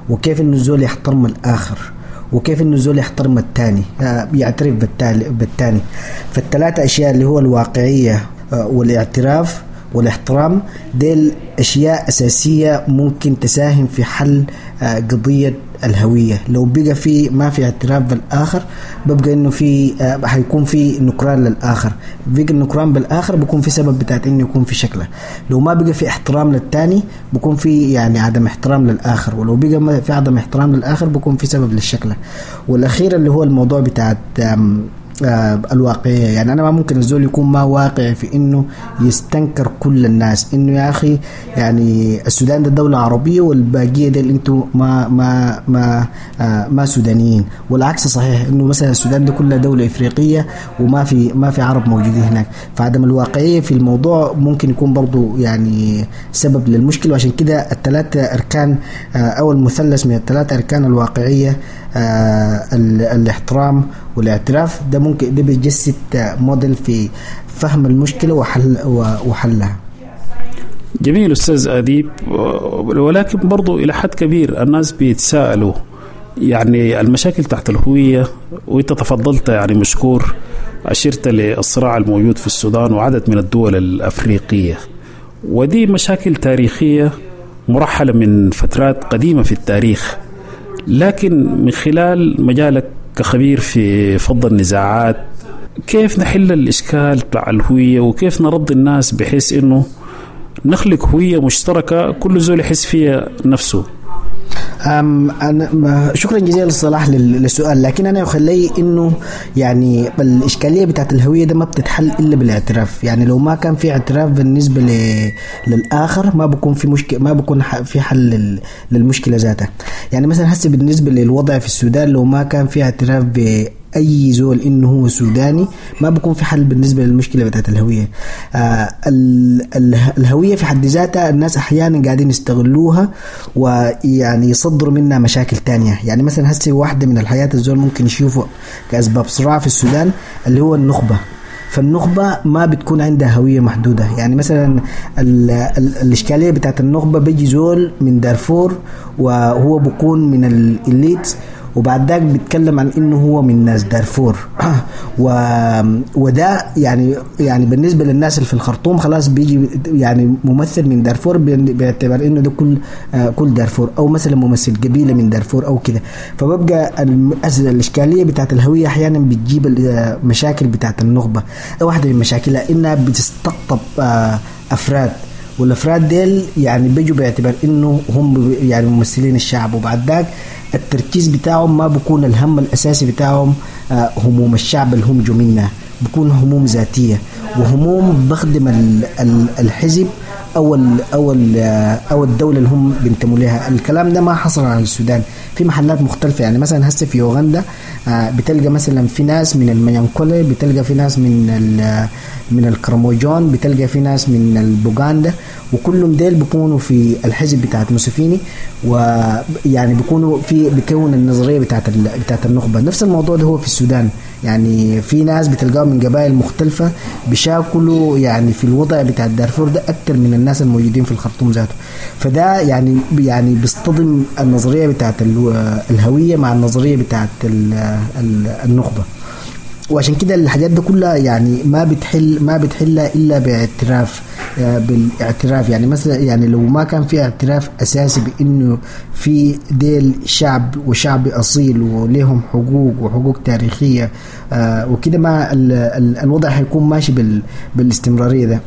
وكيف إنه الزول يحترم الآخر، وكيف إنه الزول يحترم الثاني، يعترف بالثاني. فالثلاثة أشياء اللي هو الواقعية والاعتراف والاحترام، ديل أشياء أساسية ممكن تساهم في حل قضية الهوية. لو بقى في ما في اعتراف بالآخر ببقى إنه في حيكون في نكران للآخر، بقى النكران بالآخر بيكون في سبب بتاعت إنه يكون في شكله. لو ما بقى في احترام للتاني بيكون في يعني عدم احترام للآخر، ولو بقى في عدم احترام للآخر بيكون في سبب للشكله. والأخير اللي هو الموضوع بتاعت الواقعية. يعني أنا ما ممكن الزول يكون ما واقع في إنه يستنكر كل الناس، إنه يا أخي يعني السودان ده دولة عربية والباقية ده أنتوا ما ما ما ما سودانيين، والعكس صحيح إنه مثلا السودان ده كلها دولة إفريقية وما في ما في عرب موجودين هناك. فعدم الواقعية في الموضوع ممكن يكون برضو يعني سبب للمشكلة. وعشان كده الثلاثة أركان أو المثلث من الثلاثة أركان، الواقعية، الاحترام والاعتراف، ده ممكن ده بيجسد موديل في فهم المشكلة وحلها. جميل أستاذ أديب، ولكن برضو إلى حد كبير الناس بيتساءلوا يعني المشاكل تحت الهوية، وانت تفضلت يعني مشكور أشرت للصراع الموجود في السودان وعدد من الدول الأفريقية، ودي مشاكل تاريخية مرحلة من فترات قديمة في التاريخ، لكن من خلال مجالك كخبير في فض النزاعات كيف نحل الإشكال بتاع الهوية، وكيف نرضي الناس بحيث إنه نخلق هوية مشتركة كل زول يحس فيها نفسه؟ أنا شكرا جزيلا للصلاح للسؤال، لكن أنا يخلي إنه يعني الإشكالية بتاعت الهوية ده ما بتتحل إلا بالاعتراف. يعني لو ما كان في اعتراف بالنسبة للآخر ما بكون في مشكلة، ما بكون في حل للمشكلة ذاتها. يعني مثلا هسه بالنسبة للوضع في السودان لو ما كان في اعتراف بأي زول إنه هو سوداني ما بكون في حل بالنسبة للمشكلة بتاعت الهوية. الهوية في حد ذاتها الناس أحيانا قاعدين يستغلوها ويعني يصدروا منها مشاكل تانية. يعني مثلا هسه واحدة من الحياة الزول ممكن يشوفه كأسباب صراع في السودان اللي هو النخبة. فالنخبة ما بتكون عندها هوية محدودة. يعني مثلا الإشكالية بتاعت النخبة، بيجي زول من دارفور وهو بيكون من ال elite، وبعد ذاك بيتكلم عن انه هو من ناس دارفور، وده يعني بالنسبة للناس اللي في الخرطوم خلاص بيجي يعني ممثل من دارفور باعتبار انه ده كل دارفور، او مثلا ممثل قبيلة من دارفور او كده. فببقى الاشكالية بتاعت الهوية احيانا بتجيب المشاكل بتاعت النخبة. واحدة من مشاكلها انها بتستقطب افراد، والافراد ديل يعني بيجوا باعتبار انه هم يعني ممثلين الشعب، وبعد ذاك التركيز بتاعهم ما بيكون الهم الاساسي بتاعهم هموم الشعب اللي هم جو منها، بيكون هموم ذاتية وهموم بخدم الحزب او ال او ال او الدولة اللي هم بينتموا لها. الكلام ده ما حصل على السودان في محلات مختلفة. يعني مثلا هسه في اوغندا بتلقى مثلا في ناس من المنيانكولي، بتلقى في ناس من الكرموجون، بتلقى في ناس من البوغاندا، وكلهم ديل بيكونوا في الحزب بتاعت موسوفيني، ويعني بيكونوا في بيكون النظرية بتاعت النخبة. نفس الموضوع ده هو في السودان، يعني في ناس بتلقاهم من قبائل مختلفة بيشاكلوا يعني في الوضع بتاع دارفور ده اكثر من الناس الموجودين في الخرطوم ذاته. فده يعني بيصطدم النظرية بتاعت الهوية مع النظرية بتاعت النخبة. وعشان كده الحاجات دي كلها يعني ما بتحلها الا باعتراف، بالاعتراف. يعني مثلا يعني لو ما كان في اعتراف اساسي بانه في ديل شعب وشعب اصيل وليهم حقوق وحقوق تاريخية وكده، ما الوضع هيكون ماشي بالاستمراريه ده.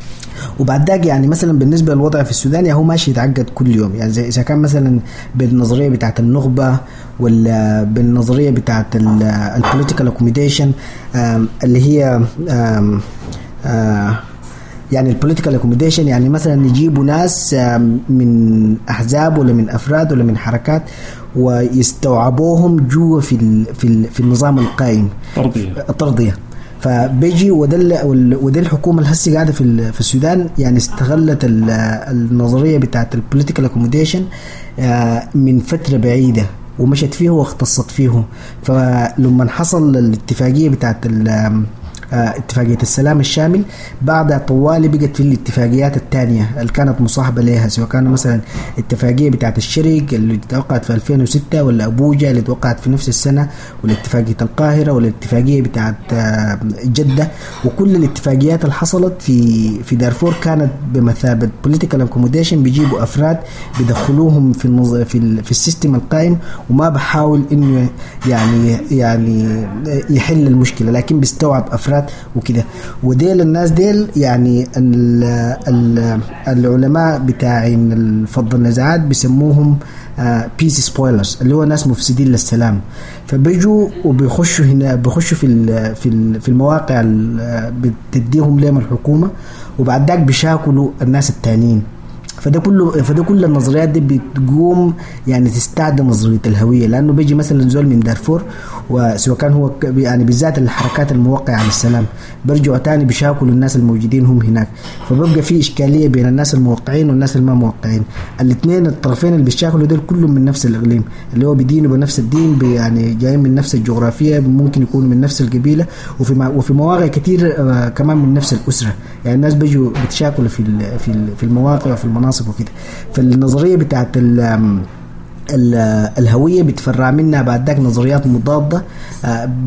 وبعد ذاك يعني مثلا بالنسبة للوضع في السودان يعني هو ماشي يتعقد كل يوم. يعني زي اذا كان مثلا بالنظريه بتاعت النخبة ولا بالنظريه بتاعت ال political accommodation اللي هي يعني ال political accommodation، يعني مثلا يجيبوا ناس من احزاب ولا من افراد ولا من حركات ويستوعبوهم جوا في النظام القائم، الترضيه. فبيجي وده الحكومة اللي هسه قاعدة في السودان يعني استغلت النظرية بتاعت ال political accommodation من فترة بعيدة ومشت فيه واختصت فيه. فلما حصل الاتفاقية بتاعت اتفاقية السلام الشامل، بعدها طوالي بقت في الاتفاقيات الثانية اللي كانت مصاحبة لها، سواء كان مثلا اتفاقية بتاعت الشرق اللي توقعت في 2006، ولا أبوجا اللي توقعت في نفس السنة، ولا اتفاقية القاهرة، ولا الاتفاقية بتاعت جدة. وكل الاتفاقيات اللي حصلت في دارفور كانت بمثابة political accommodation، بيجيبوا أفراد بيدخلوهم في ال system القائم، وما بحاول إنه يعني يحل المشكلة، لكن بيستوعب أفراد وكده. وديل الناس ديل يعني العلماء بتاعين فض النزاعات بيسموهم peace spoilers، اللي هو ناس مفسدين للسلام. فبيجوا وبيخشوا هنا، بيخشوا في المواقع اللي بتديهم لهم الحكومة، وبعد ذاك بيشاكلوا الناس التانيين. فده كل النظريات دي بتقوم يعني تستعدم نظرية الهوية، لانه بيجي مثلا زول من دارفور، وسواء كان هو يعني بالذات الحركات الموقعة على السلام، برجعوا تاني بيشاكلوا الناس الموجودين هم هناك. فببقى في اشكالية بين الناس الموقعين والناس الما موقعين، الاثنين الطرفين اللي بيشاكلوا دول كلهم من نفس الاقليم، اللي هو بيدينوا بنفس الدين، يعني جايين من نفس الجغرافية، ممكن يكونوا من نفس القبيلة، وفي مواقع كتير كمان من نفس الاسرة. يعني الناس بيجوا بتشاكلوا في المواقع وفي المناصب وكده. فالنظريه بتاعت الهوية بتفرع منها بعد ذاك نظريات مضادة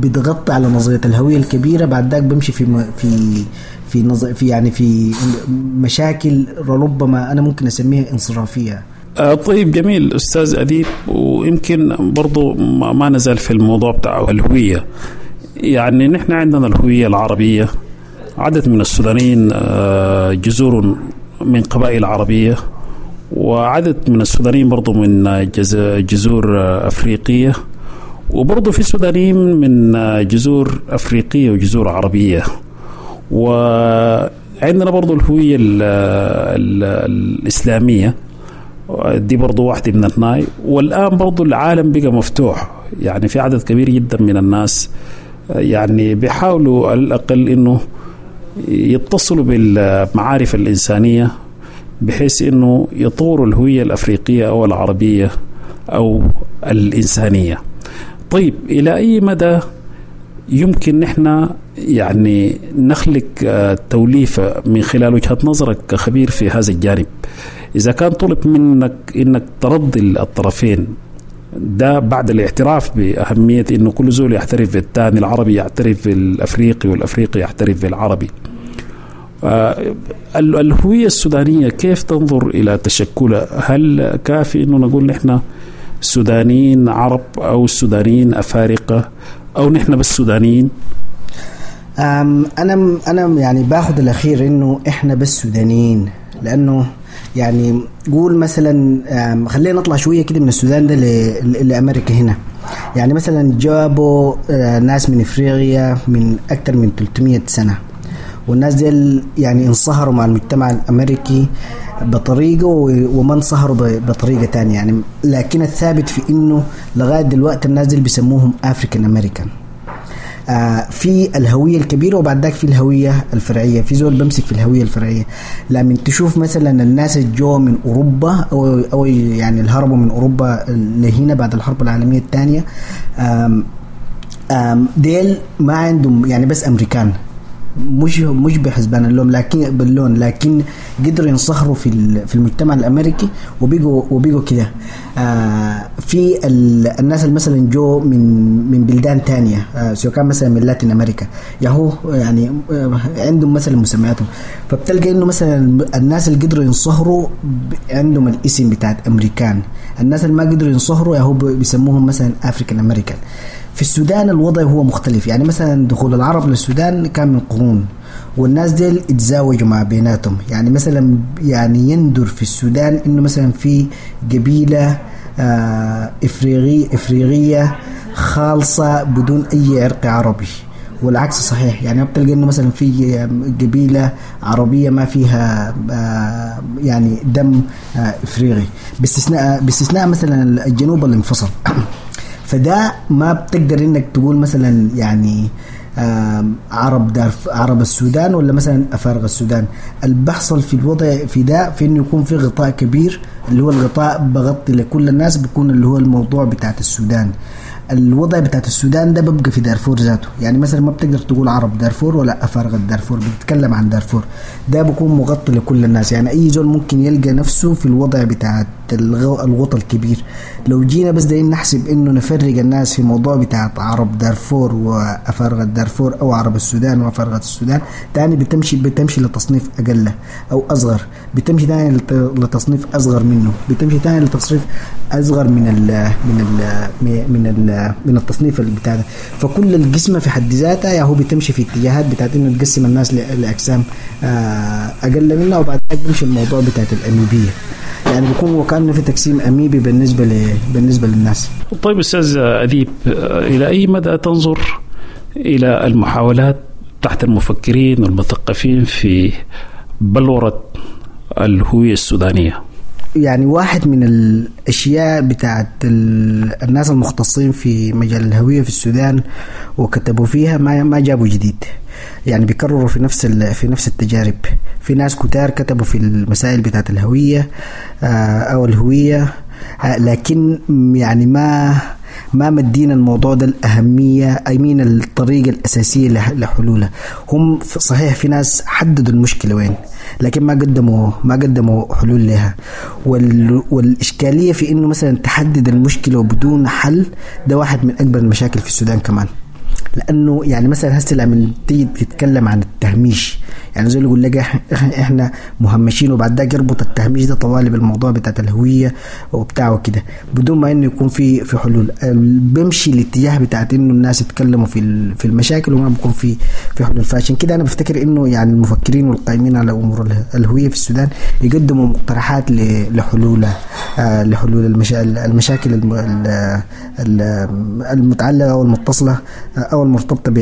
بتغطي على نظرية الهوية الكبيرة. بعد ذاك بمشي في في في في يعني في مشاكل ربما انا ممكن اسميها انصرافيه. طيب جميل استاذ اديب، ويمكن برضو ما نزال في الموضوع بتاع الهوية. يعني نحن عندنا الهوية العربية، عدد من السودانيين جذور من قبائل عربية، وعدد من السودانيين برضو من جذور أفريقية، وبرضو في سودانيين من جذور أفريقية وجذور عربية. وعندنا برضو الهوية الإسلامية، دي برضو واحدة من الناي. والآن برضو العالم بقى مفتوح، يعني في عدد كبير جدا من الناس يعني بيحاولوا على الأقل إنه يتصلوا بالمعارف الإنسانية بحيث أنه يطوروا الهوية الأفريقية أو العربية أو الإنسانية. طيب إلى أي مدى يمكن نحن يعني نخلق توليفة من خلال وجهة نظرك كخبير في هذا الجانب؟ إذا كان طلب منك إنك ترضي الطرفين ده بعد الاعتراف بأهمية إنه كل زول يعترف بالثاني، العربي يعترف بالأفريقي والأفريقي يعترف بالعربي، الهوية السودانية كيف تنظر إلى تشكلها؟ هل كافي إنه نقول نحن سودانيين عرب أو سودانيين أفارقة أو نحن بس سودانيين؟ أنا يعني باخذ الأخير إنه إحنا بس سودانيين، لأنه يعني قول مثلا خلينا نطلع شوية كده من السودان ده لأمريكا هنا. يعني مثلا جابوا ناس من إفريقيا من أكثر من 300 سنة، والناس دي يعني انصهروا مع المجتمع الأمريكي بطريقة وما انصهروا بطريقة تانية يعني، لكن الثابت في إنه لغاية دلوقتي الناس دي بيسموهم African American. في الهوية الكبيرة وبعد ذاك في الهوية الفرعية، في زول بمسك في الهوية الفرعية. لما تشوف مثلا الناس الجو من أوروبا أو يعني الهربوا من أوروبا لهنا بعد الحرب العالمية الثانية، ديل ما عندهم يعني بس أمريكان، مش بحسبان اللون، لكن باللون، لكن قدروا ينصهروا في المجتمع الامريكي وبيجوا كده. في الناس اللي مثلا جو من بلدان تانية، سواء كان مثلا من لاتين امريكا، ياهو يعني عندهم مثلا مسمياتهم، فبتلقى انه مثلا الناس اللي قدروا ينصهروا عندهم الاسم بتاعت امريكان، الناس اللي ما قدروا ينصهروا ياهو بيسموهم مثلا African American. في السودان الوضع هو مختلف، يعني مثلا دخول العرب للسودان كان من قرون، والناس ديل اتزاوجوا مع بيناتهم. يعني مثلا يعني يندر في السودان انه مثلا في قبيلة افريقية خالصة بدون اي عرق عربي، والعكس صحيح. يعني بتلقى انه مثلا في قبيلة عربية ما فيها يعني دم افريقي، باستثناء مثلا الجنوب اللي انفصل. فده ما بتقدر انك تقول مثلا يعني عرب السودان ولا مثلا افارقه السودان. اللي بحصل في الوضع في ده في انه يكون في غطاء كبير، اللي هو الغطاء بغطي لكل الناس، بيكون اللي هو الموضوع بتاعت السودان. الوضع بتاعت السودان ده ببقى في دارفور ذاته، يعني مثلا ما بتقدر تقول عرب دارفور ولا افارقه دارفور، بتتكلم عن دارفور، ده بيكون مغطي لكل الناس. يعني اي زول ممكن يلقى نفسه في الوضع بتاعت الغطاء الكبير. لو جينا بس دايرين نحسب انه نفرق الناس في موضوع بتاعت عرب دارفور وافارقه دارفور او عرب السودان وافارقه السودان، تاني بتمشي لتصنيف اقل او اصغر، بتمشي تاني لتصنيف اصغر منه، بتمشي تاني لتصنيف اصغر من ال من ال من ال من التصنيف بتاع ده. فكل القسمة في حد ذاتها يا هو بتمشي في اتجاهات بتاعت انه تقسم الناس لاجسام اقل منها، وبعد ذلك بيمشي الموضوع بتاعت الاميبيه، يعني بيكون وكأنه في تقسيم اميبي بالنسبة للناس. طيب استاذ اديب، الى اي مدى تنظر الى المحاولات تحت المفكرين والمثقفين في بلورة الهوية السودانية؟ يعني واحد من الأشياء بتاعت الناس المختصين في مجال الهوية في السودان وكتبوا فيها ما جابوا جديد، يعني بيكرروا في نفس التجارب. في ناس كتار كتبوا في المسائل بتاعت الهوية أو الهوية، لكن يعني ما مدينا الموضوع ده الأهمية، أي مين الطريقة الأساسية لحلولها. هم صحيح في ناس حددوا المشكلة وين، لكن ما قدموا حلول لها. والإشكالية في إنه مثلا تحدد المشكلة وبدون حل، ده واحد من أكبر المشاكل في السودان كمان. لأنه يعني مثلا هسه لما تيجي تتكلم عن التهميش، يعني زي اللي يقول لك احنا مهمشين، وبعد ذاك يربط التهميش ده طوالي بالموضوع بتاعت الهوية وبتاع وكده، بدون ما انه يكون في حلول. بمشي الاتجاه بتاعت انه الناس يتكلموا في المشاكل وما بيكون في حلول. فعشان كده انا بفتكر انه يعني المفكرين والقائمين على امور الهوية في السودان يقدموا مقترحات لحلول المشاكل المتعلقة او المتصلة او المرتبطة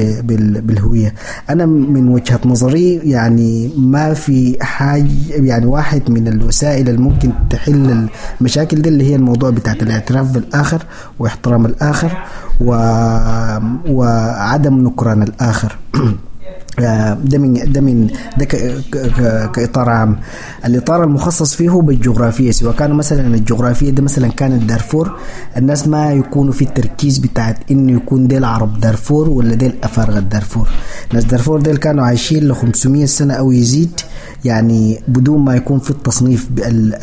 بالهوية. انا من وجهة نظري يعني ما في حاجة، يعني واحد من الوسائل اللي ممكن تحل المشاكل دي اللي هي الموضوع بتاعت الاعتراف بالآخر واحترام الآخر وعدم نكران الآخر. ده من ده من ده كاطار عام. الاطار المخصص فيه بالجغرافيه، سواء كانوا مثلا الجغرافية ده مثلا كانت دارفور، الناس ما يكونوا في التركيز بتاعت انه يكون ديل عرب دارفور ولا ديل افارقه دارفور. ناس دارفور ديل كانوا عايشين ل 500 سنة او يزيد، يعني بدون ما يكون في التصنيف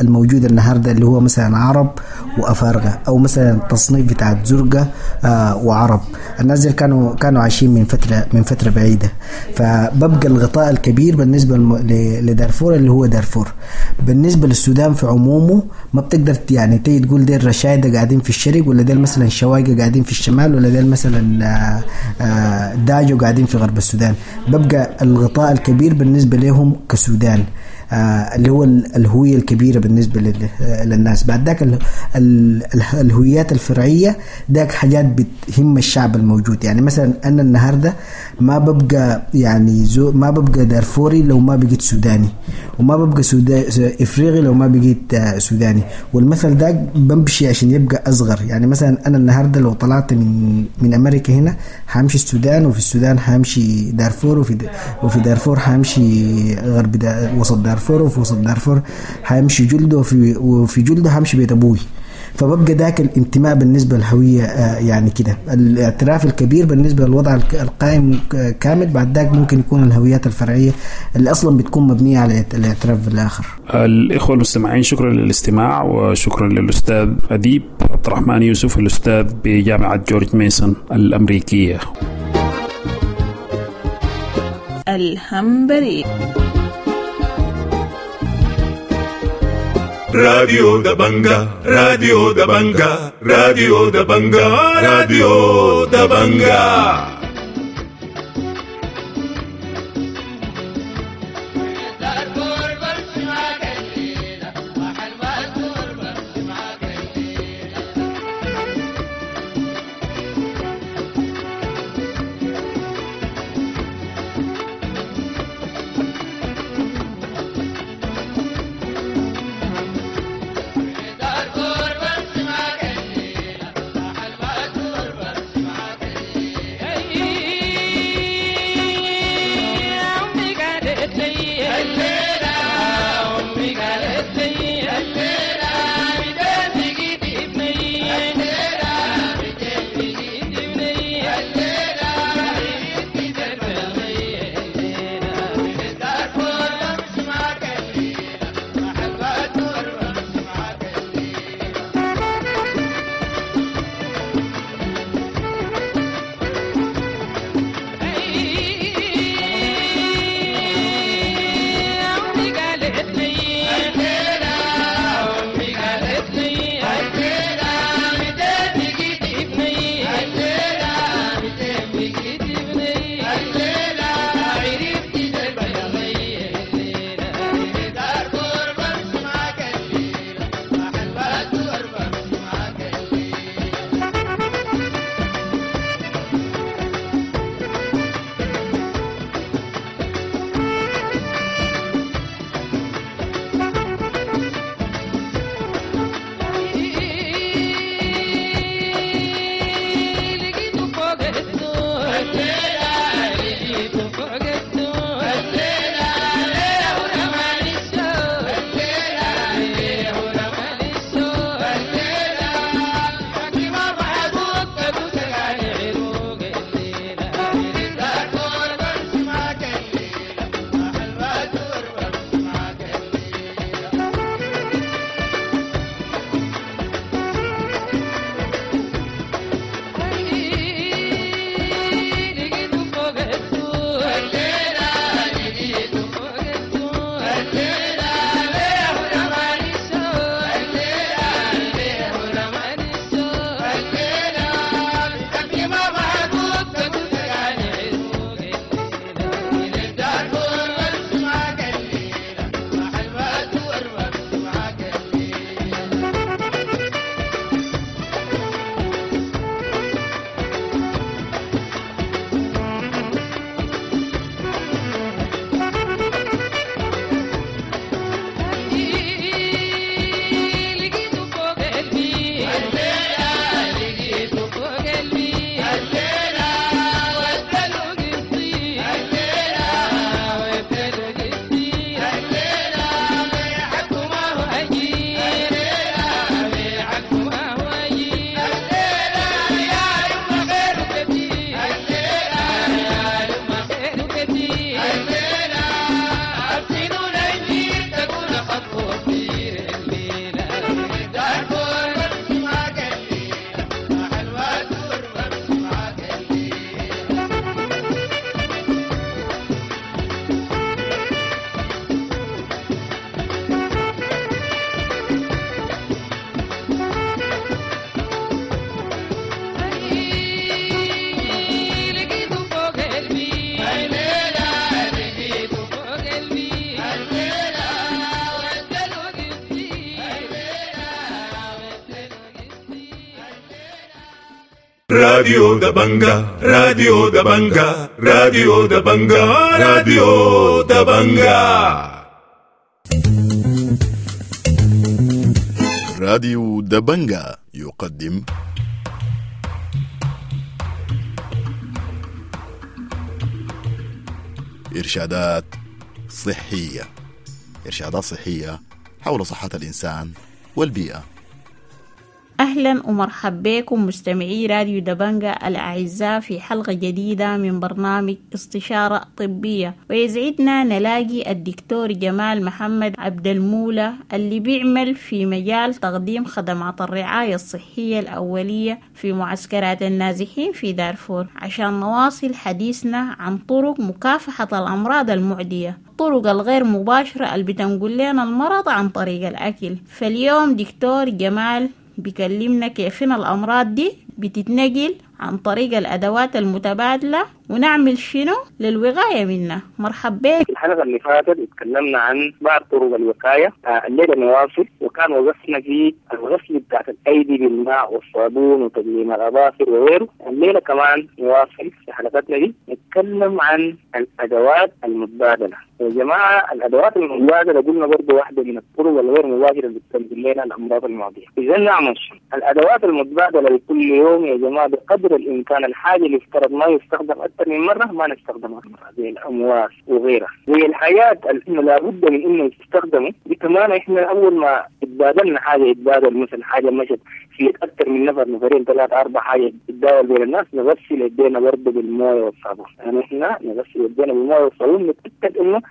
الموجود النهارده اللي هو مثلا عرب وافارقه، او مثلا التصنيف بتاعت زرقه وعرب. الناس ديل كانوا عايشين من فترة بعيدة. فببقى الغطاء الكبير بالنسبة لدارفور اللي هو دارفور. بالنسبة للسودان في عمومه ما بتقدر يعني تيجي تقول ديل رشايده قاعدين في الشرق، ولا ديل مثلا شوايقه قاعدين في الشمال، ولا ديل مثلا داجو قاعدين في غرب السودان. ببقى الغطاء الكبير بالنسبة لهم كسودان، اللي هو الهوية الكبيرة بالنسبة للناس. بعد ذاك الهويات الفرعية ذاك حاجات بتهم الشعب الموجود. يعني مثلا أنا النهاردة ما ببقى يعني ما ببقى دارفوري لو ما بقيت سوداني، وما ببقى إفريقي لو ما بقيت سوداني. والمثل ده بمشي عشان يبقى أصغر. يعني مثلا أنا النهاردة لو طلعت من أمريكا هنا همشي السودان، وفي السودان همشي دارفور، وفي دارفور همشي غرب وسط دارفور، وفي وسط دارفور همشي جلده، وفي جلده همشي بيت أبوي. فببقى ذاك الانتماء بالنسبة للهوية، يعني كده الاعتراف الكبير بالنسبة للوضع القائم كامل. بعد ذاك ممكن يكون الهويات الفرعية اللي أصلا بتكون مبنية على الاعتراف بالآخر. الإخوة المستمعين شكرا للاستماع، وشكرا للأستاذ أديب عبد الرحمن يوسف الأستاذ بجامعة جورج ميسون الأمريكية. الهمبري راديو دبنجا، راديو دبنجا، راديو دبنجا، راديو دبنجا. Hey! راديو دبنجا، راديو دبنجا، راديو دبنجا، راديو دبنجا. راديو دبنجا يقدم إرشادات صحية. إرشادات صحية حول صحة الإنسان والبيئة. أهلا ومرحبا بكم مستمعي راديو دبنجا الأعزاء في حلقة جديدة من برنامج استشارة طبية، ويسعدنا نلاقي الدكتور جمال محمد عبد المولى اللي بيعمل في مجال تقديم خدمات الرعاية الصحية الأولية في معسكرات النازحين في دارفور، عشان نواصل حديثنا عن طرق مكافحة الأمراض المعدية، الطرق الغير مباشرة اللي بتنقل لنا المرض عن طريق الأكل. فاليوم دكتور جمال بيكلمنا كيفين الأمراض دي بتتنقل عن طريق الأدوات المتبادلة ونعمل شنو للوقاية منها. مرحبا بك. في الحلقة اللي فاتت اتكلمنا عن بعض طرق الوقاية، الليلة نواصل، وكان وقفنا في الغسل بتاعت الأيدي بالماء والصابون وتقليم الأظافر وغيره. الليلة كمان نواصل في حلقتنا دي نتكلم عن الأدوات المتبادلة. يا جماعة الأدوات المتبادلة قلنا برضو واحدة من الطرق الغير مباشرة اللي بتنقل لنا الأمراض المعدية. إذا نعمل شنو؟ الأدوات المتبادلة لكل يوم يا جماعة بقدر الإمكان الحاجة اللي افترض ما يستخدم أكثر من مرة ما نستخدمها مرة، زي الأمواس وغيرها، زي الحاجات اللي لابد من إنه يستخدموا دي. كمان إحنا أول ما اتبادلنا حاجة، يتبادل مثلا حاجة مشت في أكثر من نفر، نفرين ثلاثة أربع، حاجة تتداول بين الناس، نغسل يدينا برضه بالموية والصابون. يعني إحنا نغسل يدينا بالموية والصابون، نتأكد إنه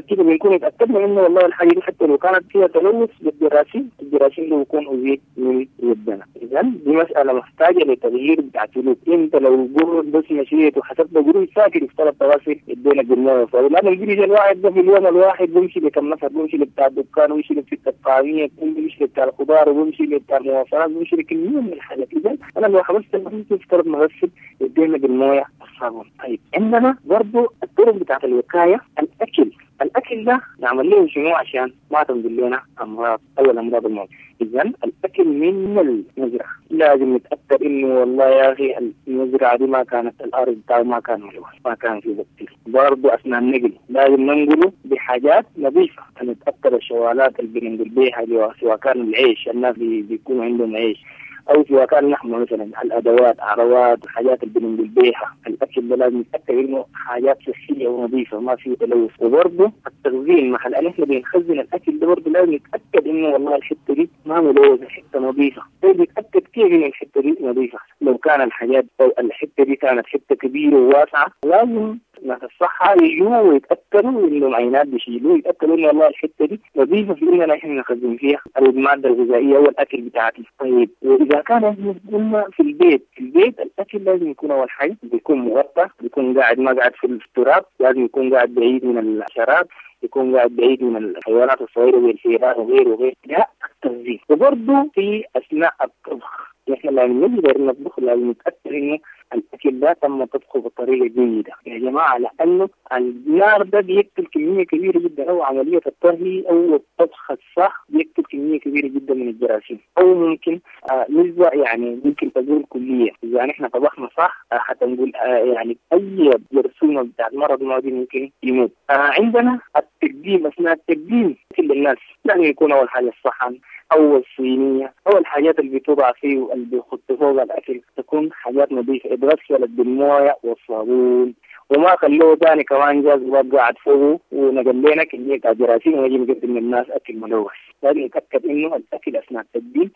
كده بنكون اتأكدنا إنه والله الحاجة دي حتى لو كانت فيها تلوث بالجراثيم، الجراثيم اللي بيكون أزيد من يدنا. إذا دي مسألة محتاجة لتغيير بتاع سلوك. أنت لو جرد بس مشيت وحسبت جروج ساكت افترض تغسل يدينك بالموية والصابون، لأن الجريج الواحد ده في اليوم الواحد بيمشي لكم نفر، بيمشي لبتاع الدكان، ويمشي لبتاع الطعمية، بيمشي لبتاع الخضار، وبيمشي لبتاع المواصلات، بيمشي لكمية من الحاجات. إذا أنا لو حبست افترض نغسل يدينا بالموية والصابون. طيب عندنا برضه الطرق بتاعت الوقاية، الأكل. الأكل ده نعمل له شنو عشان ما تنقل لنا أمراض أو الأمراض المعدية؟ إذا الأكل من المزرعة لازم نتأكد إنه والله يا أخي المزرعة دي ما كانت الأرض بتاعه ما كان ملوث، ما كان فيه بكتيريا. برضه أثناء النقل لازم ننقله بحاجات نظيفة، نتأكد الشوالات اللي بننقل بيها، سواء كان العيش، الناس بيكونوا عندهم عيش، أو سواء كان نحن مثلا الأدوات، عروات، الحاجات اللي بننقل بيها الأكل ده لازم نتأكد إنه حاجات صحية ونظيفة ما فيه تلوث. وبرضه التخزين، محل أن إحنا بنخزن الأكل ده برضه لازم نتأكد إنه والله الحتة دي ما ملوثة، الحتة نظيفة. طيب نتأكد كيف إنه الحتة دي نظيفة؟ لو كان الحاجات أو الحتة دي كانت حتة كبيرة وواسعة، لازم ناس الصحة يجوا ويتأكدوا إنه العينات بيشيلوه، يتأكدوا إنه والله الحتة دي نظيفة في إننا إحنا نخزن فيها المادة الغذائية والأكل بتاعتنا. طيب وإذا كان إحنا قلنا في البيت، في البيت الأكل لازم يكون أول حاجة بيكون مغطى، بيكون قاعد ما قاعد في التراب، لازم يكون قاعد بعيد من الحشرات، يكون قاعد بعيد من الحيوانات الصغيرة زي الفئران وغيره وغيره. ده التخزين. وبرضه في أثناء الطبخ، نحن لما نقدر نطبخ لازم نتأكد إنه الأكل ده تم طبخه بطريقة جيدة يا جماعة، لأنه النار ده بيقتل كمية كبيرة جدا، أو عملية الطهي أو الطبخ الصح بيقتل كمية كبيرة جدا من الجراثيم، أو ممكن نسبة يعني ممكن تقول كلية. إذا نحن طبخنا صح حتى نقول يعني أي جرثومة بتاعت مرض معدي ممكن يموت. عندنا التقديم، أثناء التقديم كل الناس لازم يكون أول حاجة الصحن أو الصينية أو الحاجات اللي بتوضع فيه واللي بيحط فوق الأكل تكون حاجات نظيفة، اتغسلت بالموية والصابون، وما خلوه تاني كمان جاز قاعد فوقه ونقل لنا كمية جراثيم ونجي نقدم للناس أكل ملوث. لازم نتأكد إنه الأكل أثناء التقديم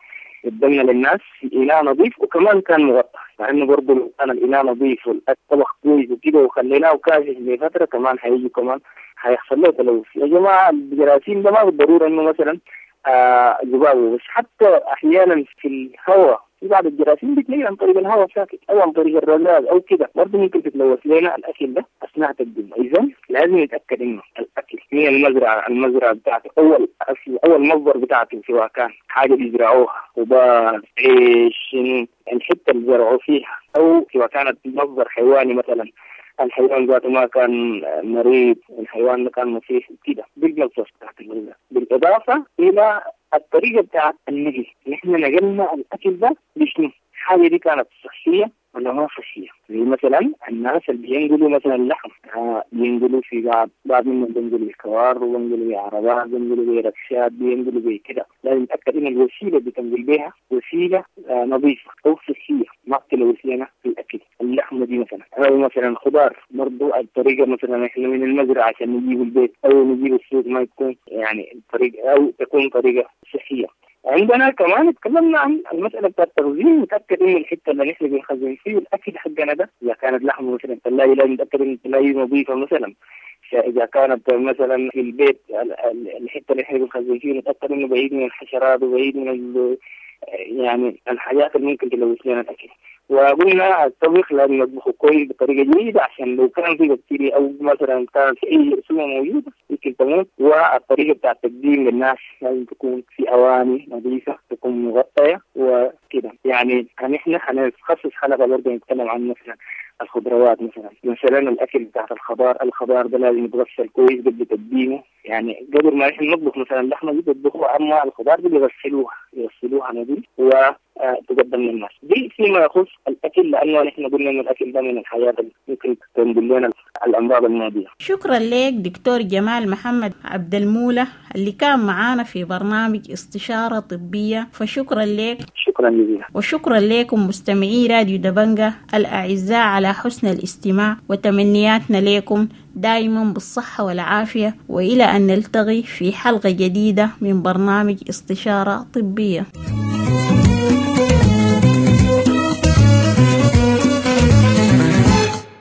قدمنا للناس في إناء نظيف وكمان كان مغطى، مع إنه برضه لو كان الإناء نظيف والطبخ كويس وكده وخليناه كاشف لفترة كمان هيجي كمان هيحصل له تلوث. يا جماعة الجراثيم ده ما بالضرورة إنه مثلا ذبابه، بس حتى احيانا في الهواء في بعض الجراثيم بتلاقي عن طريق الهواء ساكت او عن طريق الرذاذ او كده، برضه ممكن تتلوث لنا الاكل ده اثناء تقديمه. اذا لازم نتاكد انه الاكل من المزرعة، المزرعة بتاعته اول اصل اول مصدر بتاعته، سواء كان حاجة بيزرعوها، خضار، عيش، الحتة اللي زرعوا فيها، او سواء كانت مصدر حيواني مثلا، الحيوان ذاته ما كان مريض، الحيوان ما كان مصيح كده، بالمصدر بتاعت الغذاء. بالاضافة الى الطريقة بتاعت النقل، نحن نقلنا الاكل ده بشنو؟ الحاجة دي كانت صحية ولا ما صحية. زي مثلا الناس اللي بينقلوا مثلا لحم، بينقلوا في بعض منهم بينقلوا بكوار، وبينقلوا بعربات، بينقلوا بركشات، بينقلوا بكده. لازم نتأكد إن الوسيلة اللي بتنقل بها وسيلة نظيفة أو صحية، ما بتلوث لنا الأكل. اللحمة دي مثلا، أو مثلا خضار برضو الطريقة مثلا إحنا من المزرعة عشان نجيب البيت أو نجيب السوق ما يكون يعني الطريقة أو تكون طريقة صحية. عندنا كمان تكلمنا عن المسألة بتاعت التخزين، نتأكد إنه الحتة اللي نحن بنخزن فيه الأكل حقنا ده إذا كانت لحمة مثلا الثلاجة لازم نتأكد إن الثلاجة نظيفة مثلا. إذا كانت مثلا في البيت الحتة اللي نحن بنخزن فيه نتأكد إنه بعيد من الحشرات وبعيد من يعني الحاجات اللي ممكن تلوث لنا الأكل. وقلنا الطبخ لازم نطبخه كويس بطريقة جيدة عشان لو كان في بكتيريا أو مثلا كان في أي جرثومة موجودة يمكن تموت. والطريقة بتاع التقديم للناس لازم تكون في أواني نظيفة، تكون مغطية وكده. يعني نحن حنخصص حلقة برضه نتكلم عن مثلا الخضروات، مثلا الأكل بتاع الخضار، الخضار ده لازم يتغسل كويس قبل تقديمه. يعني قبل ما نحن نطبخ مثلا اللحمة دي بيطبخوها، أما الخضار دي بيغسلوها نظيف وتقدم للناس. دي فيما يخص الأكل، لأنه نحن قلنا إن الأكل ده من الحاجات اللي ممكن تنقل لنا الأمراض المعدية. شكرا لك دكتور جمال محمد عبد المولى اللي كان معانا في برنامج استشارة طبية، فشكرا لك. شكرا جزيلا. وشكرا لكم مستمعي راديو دبنجة الأعزاء على حسن الاستماع، وتمنياتنا لكم دائما بالصحة والعافية، وإلى أن نلتقي في حلقة جديدة من برنامج استشارة طبية.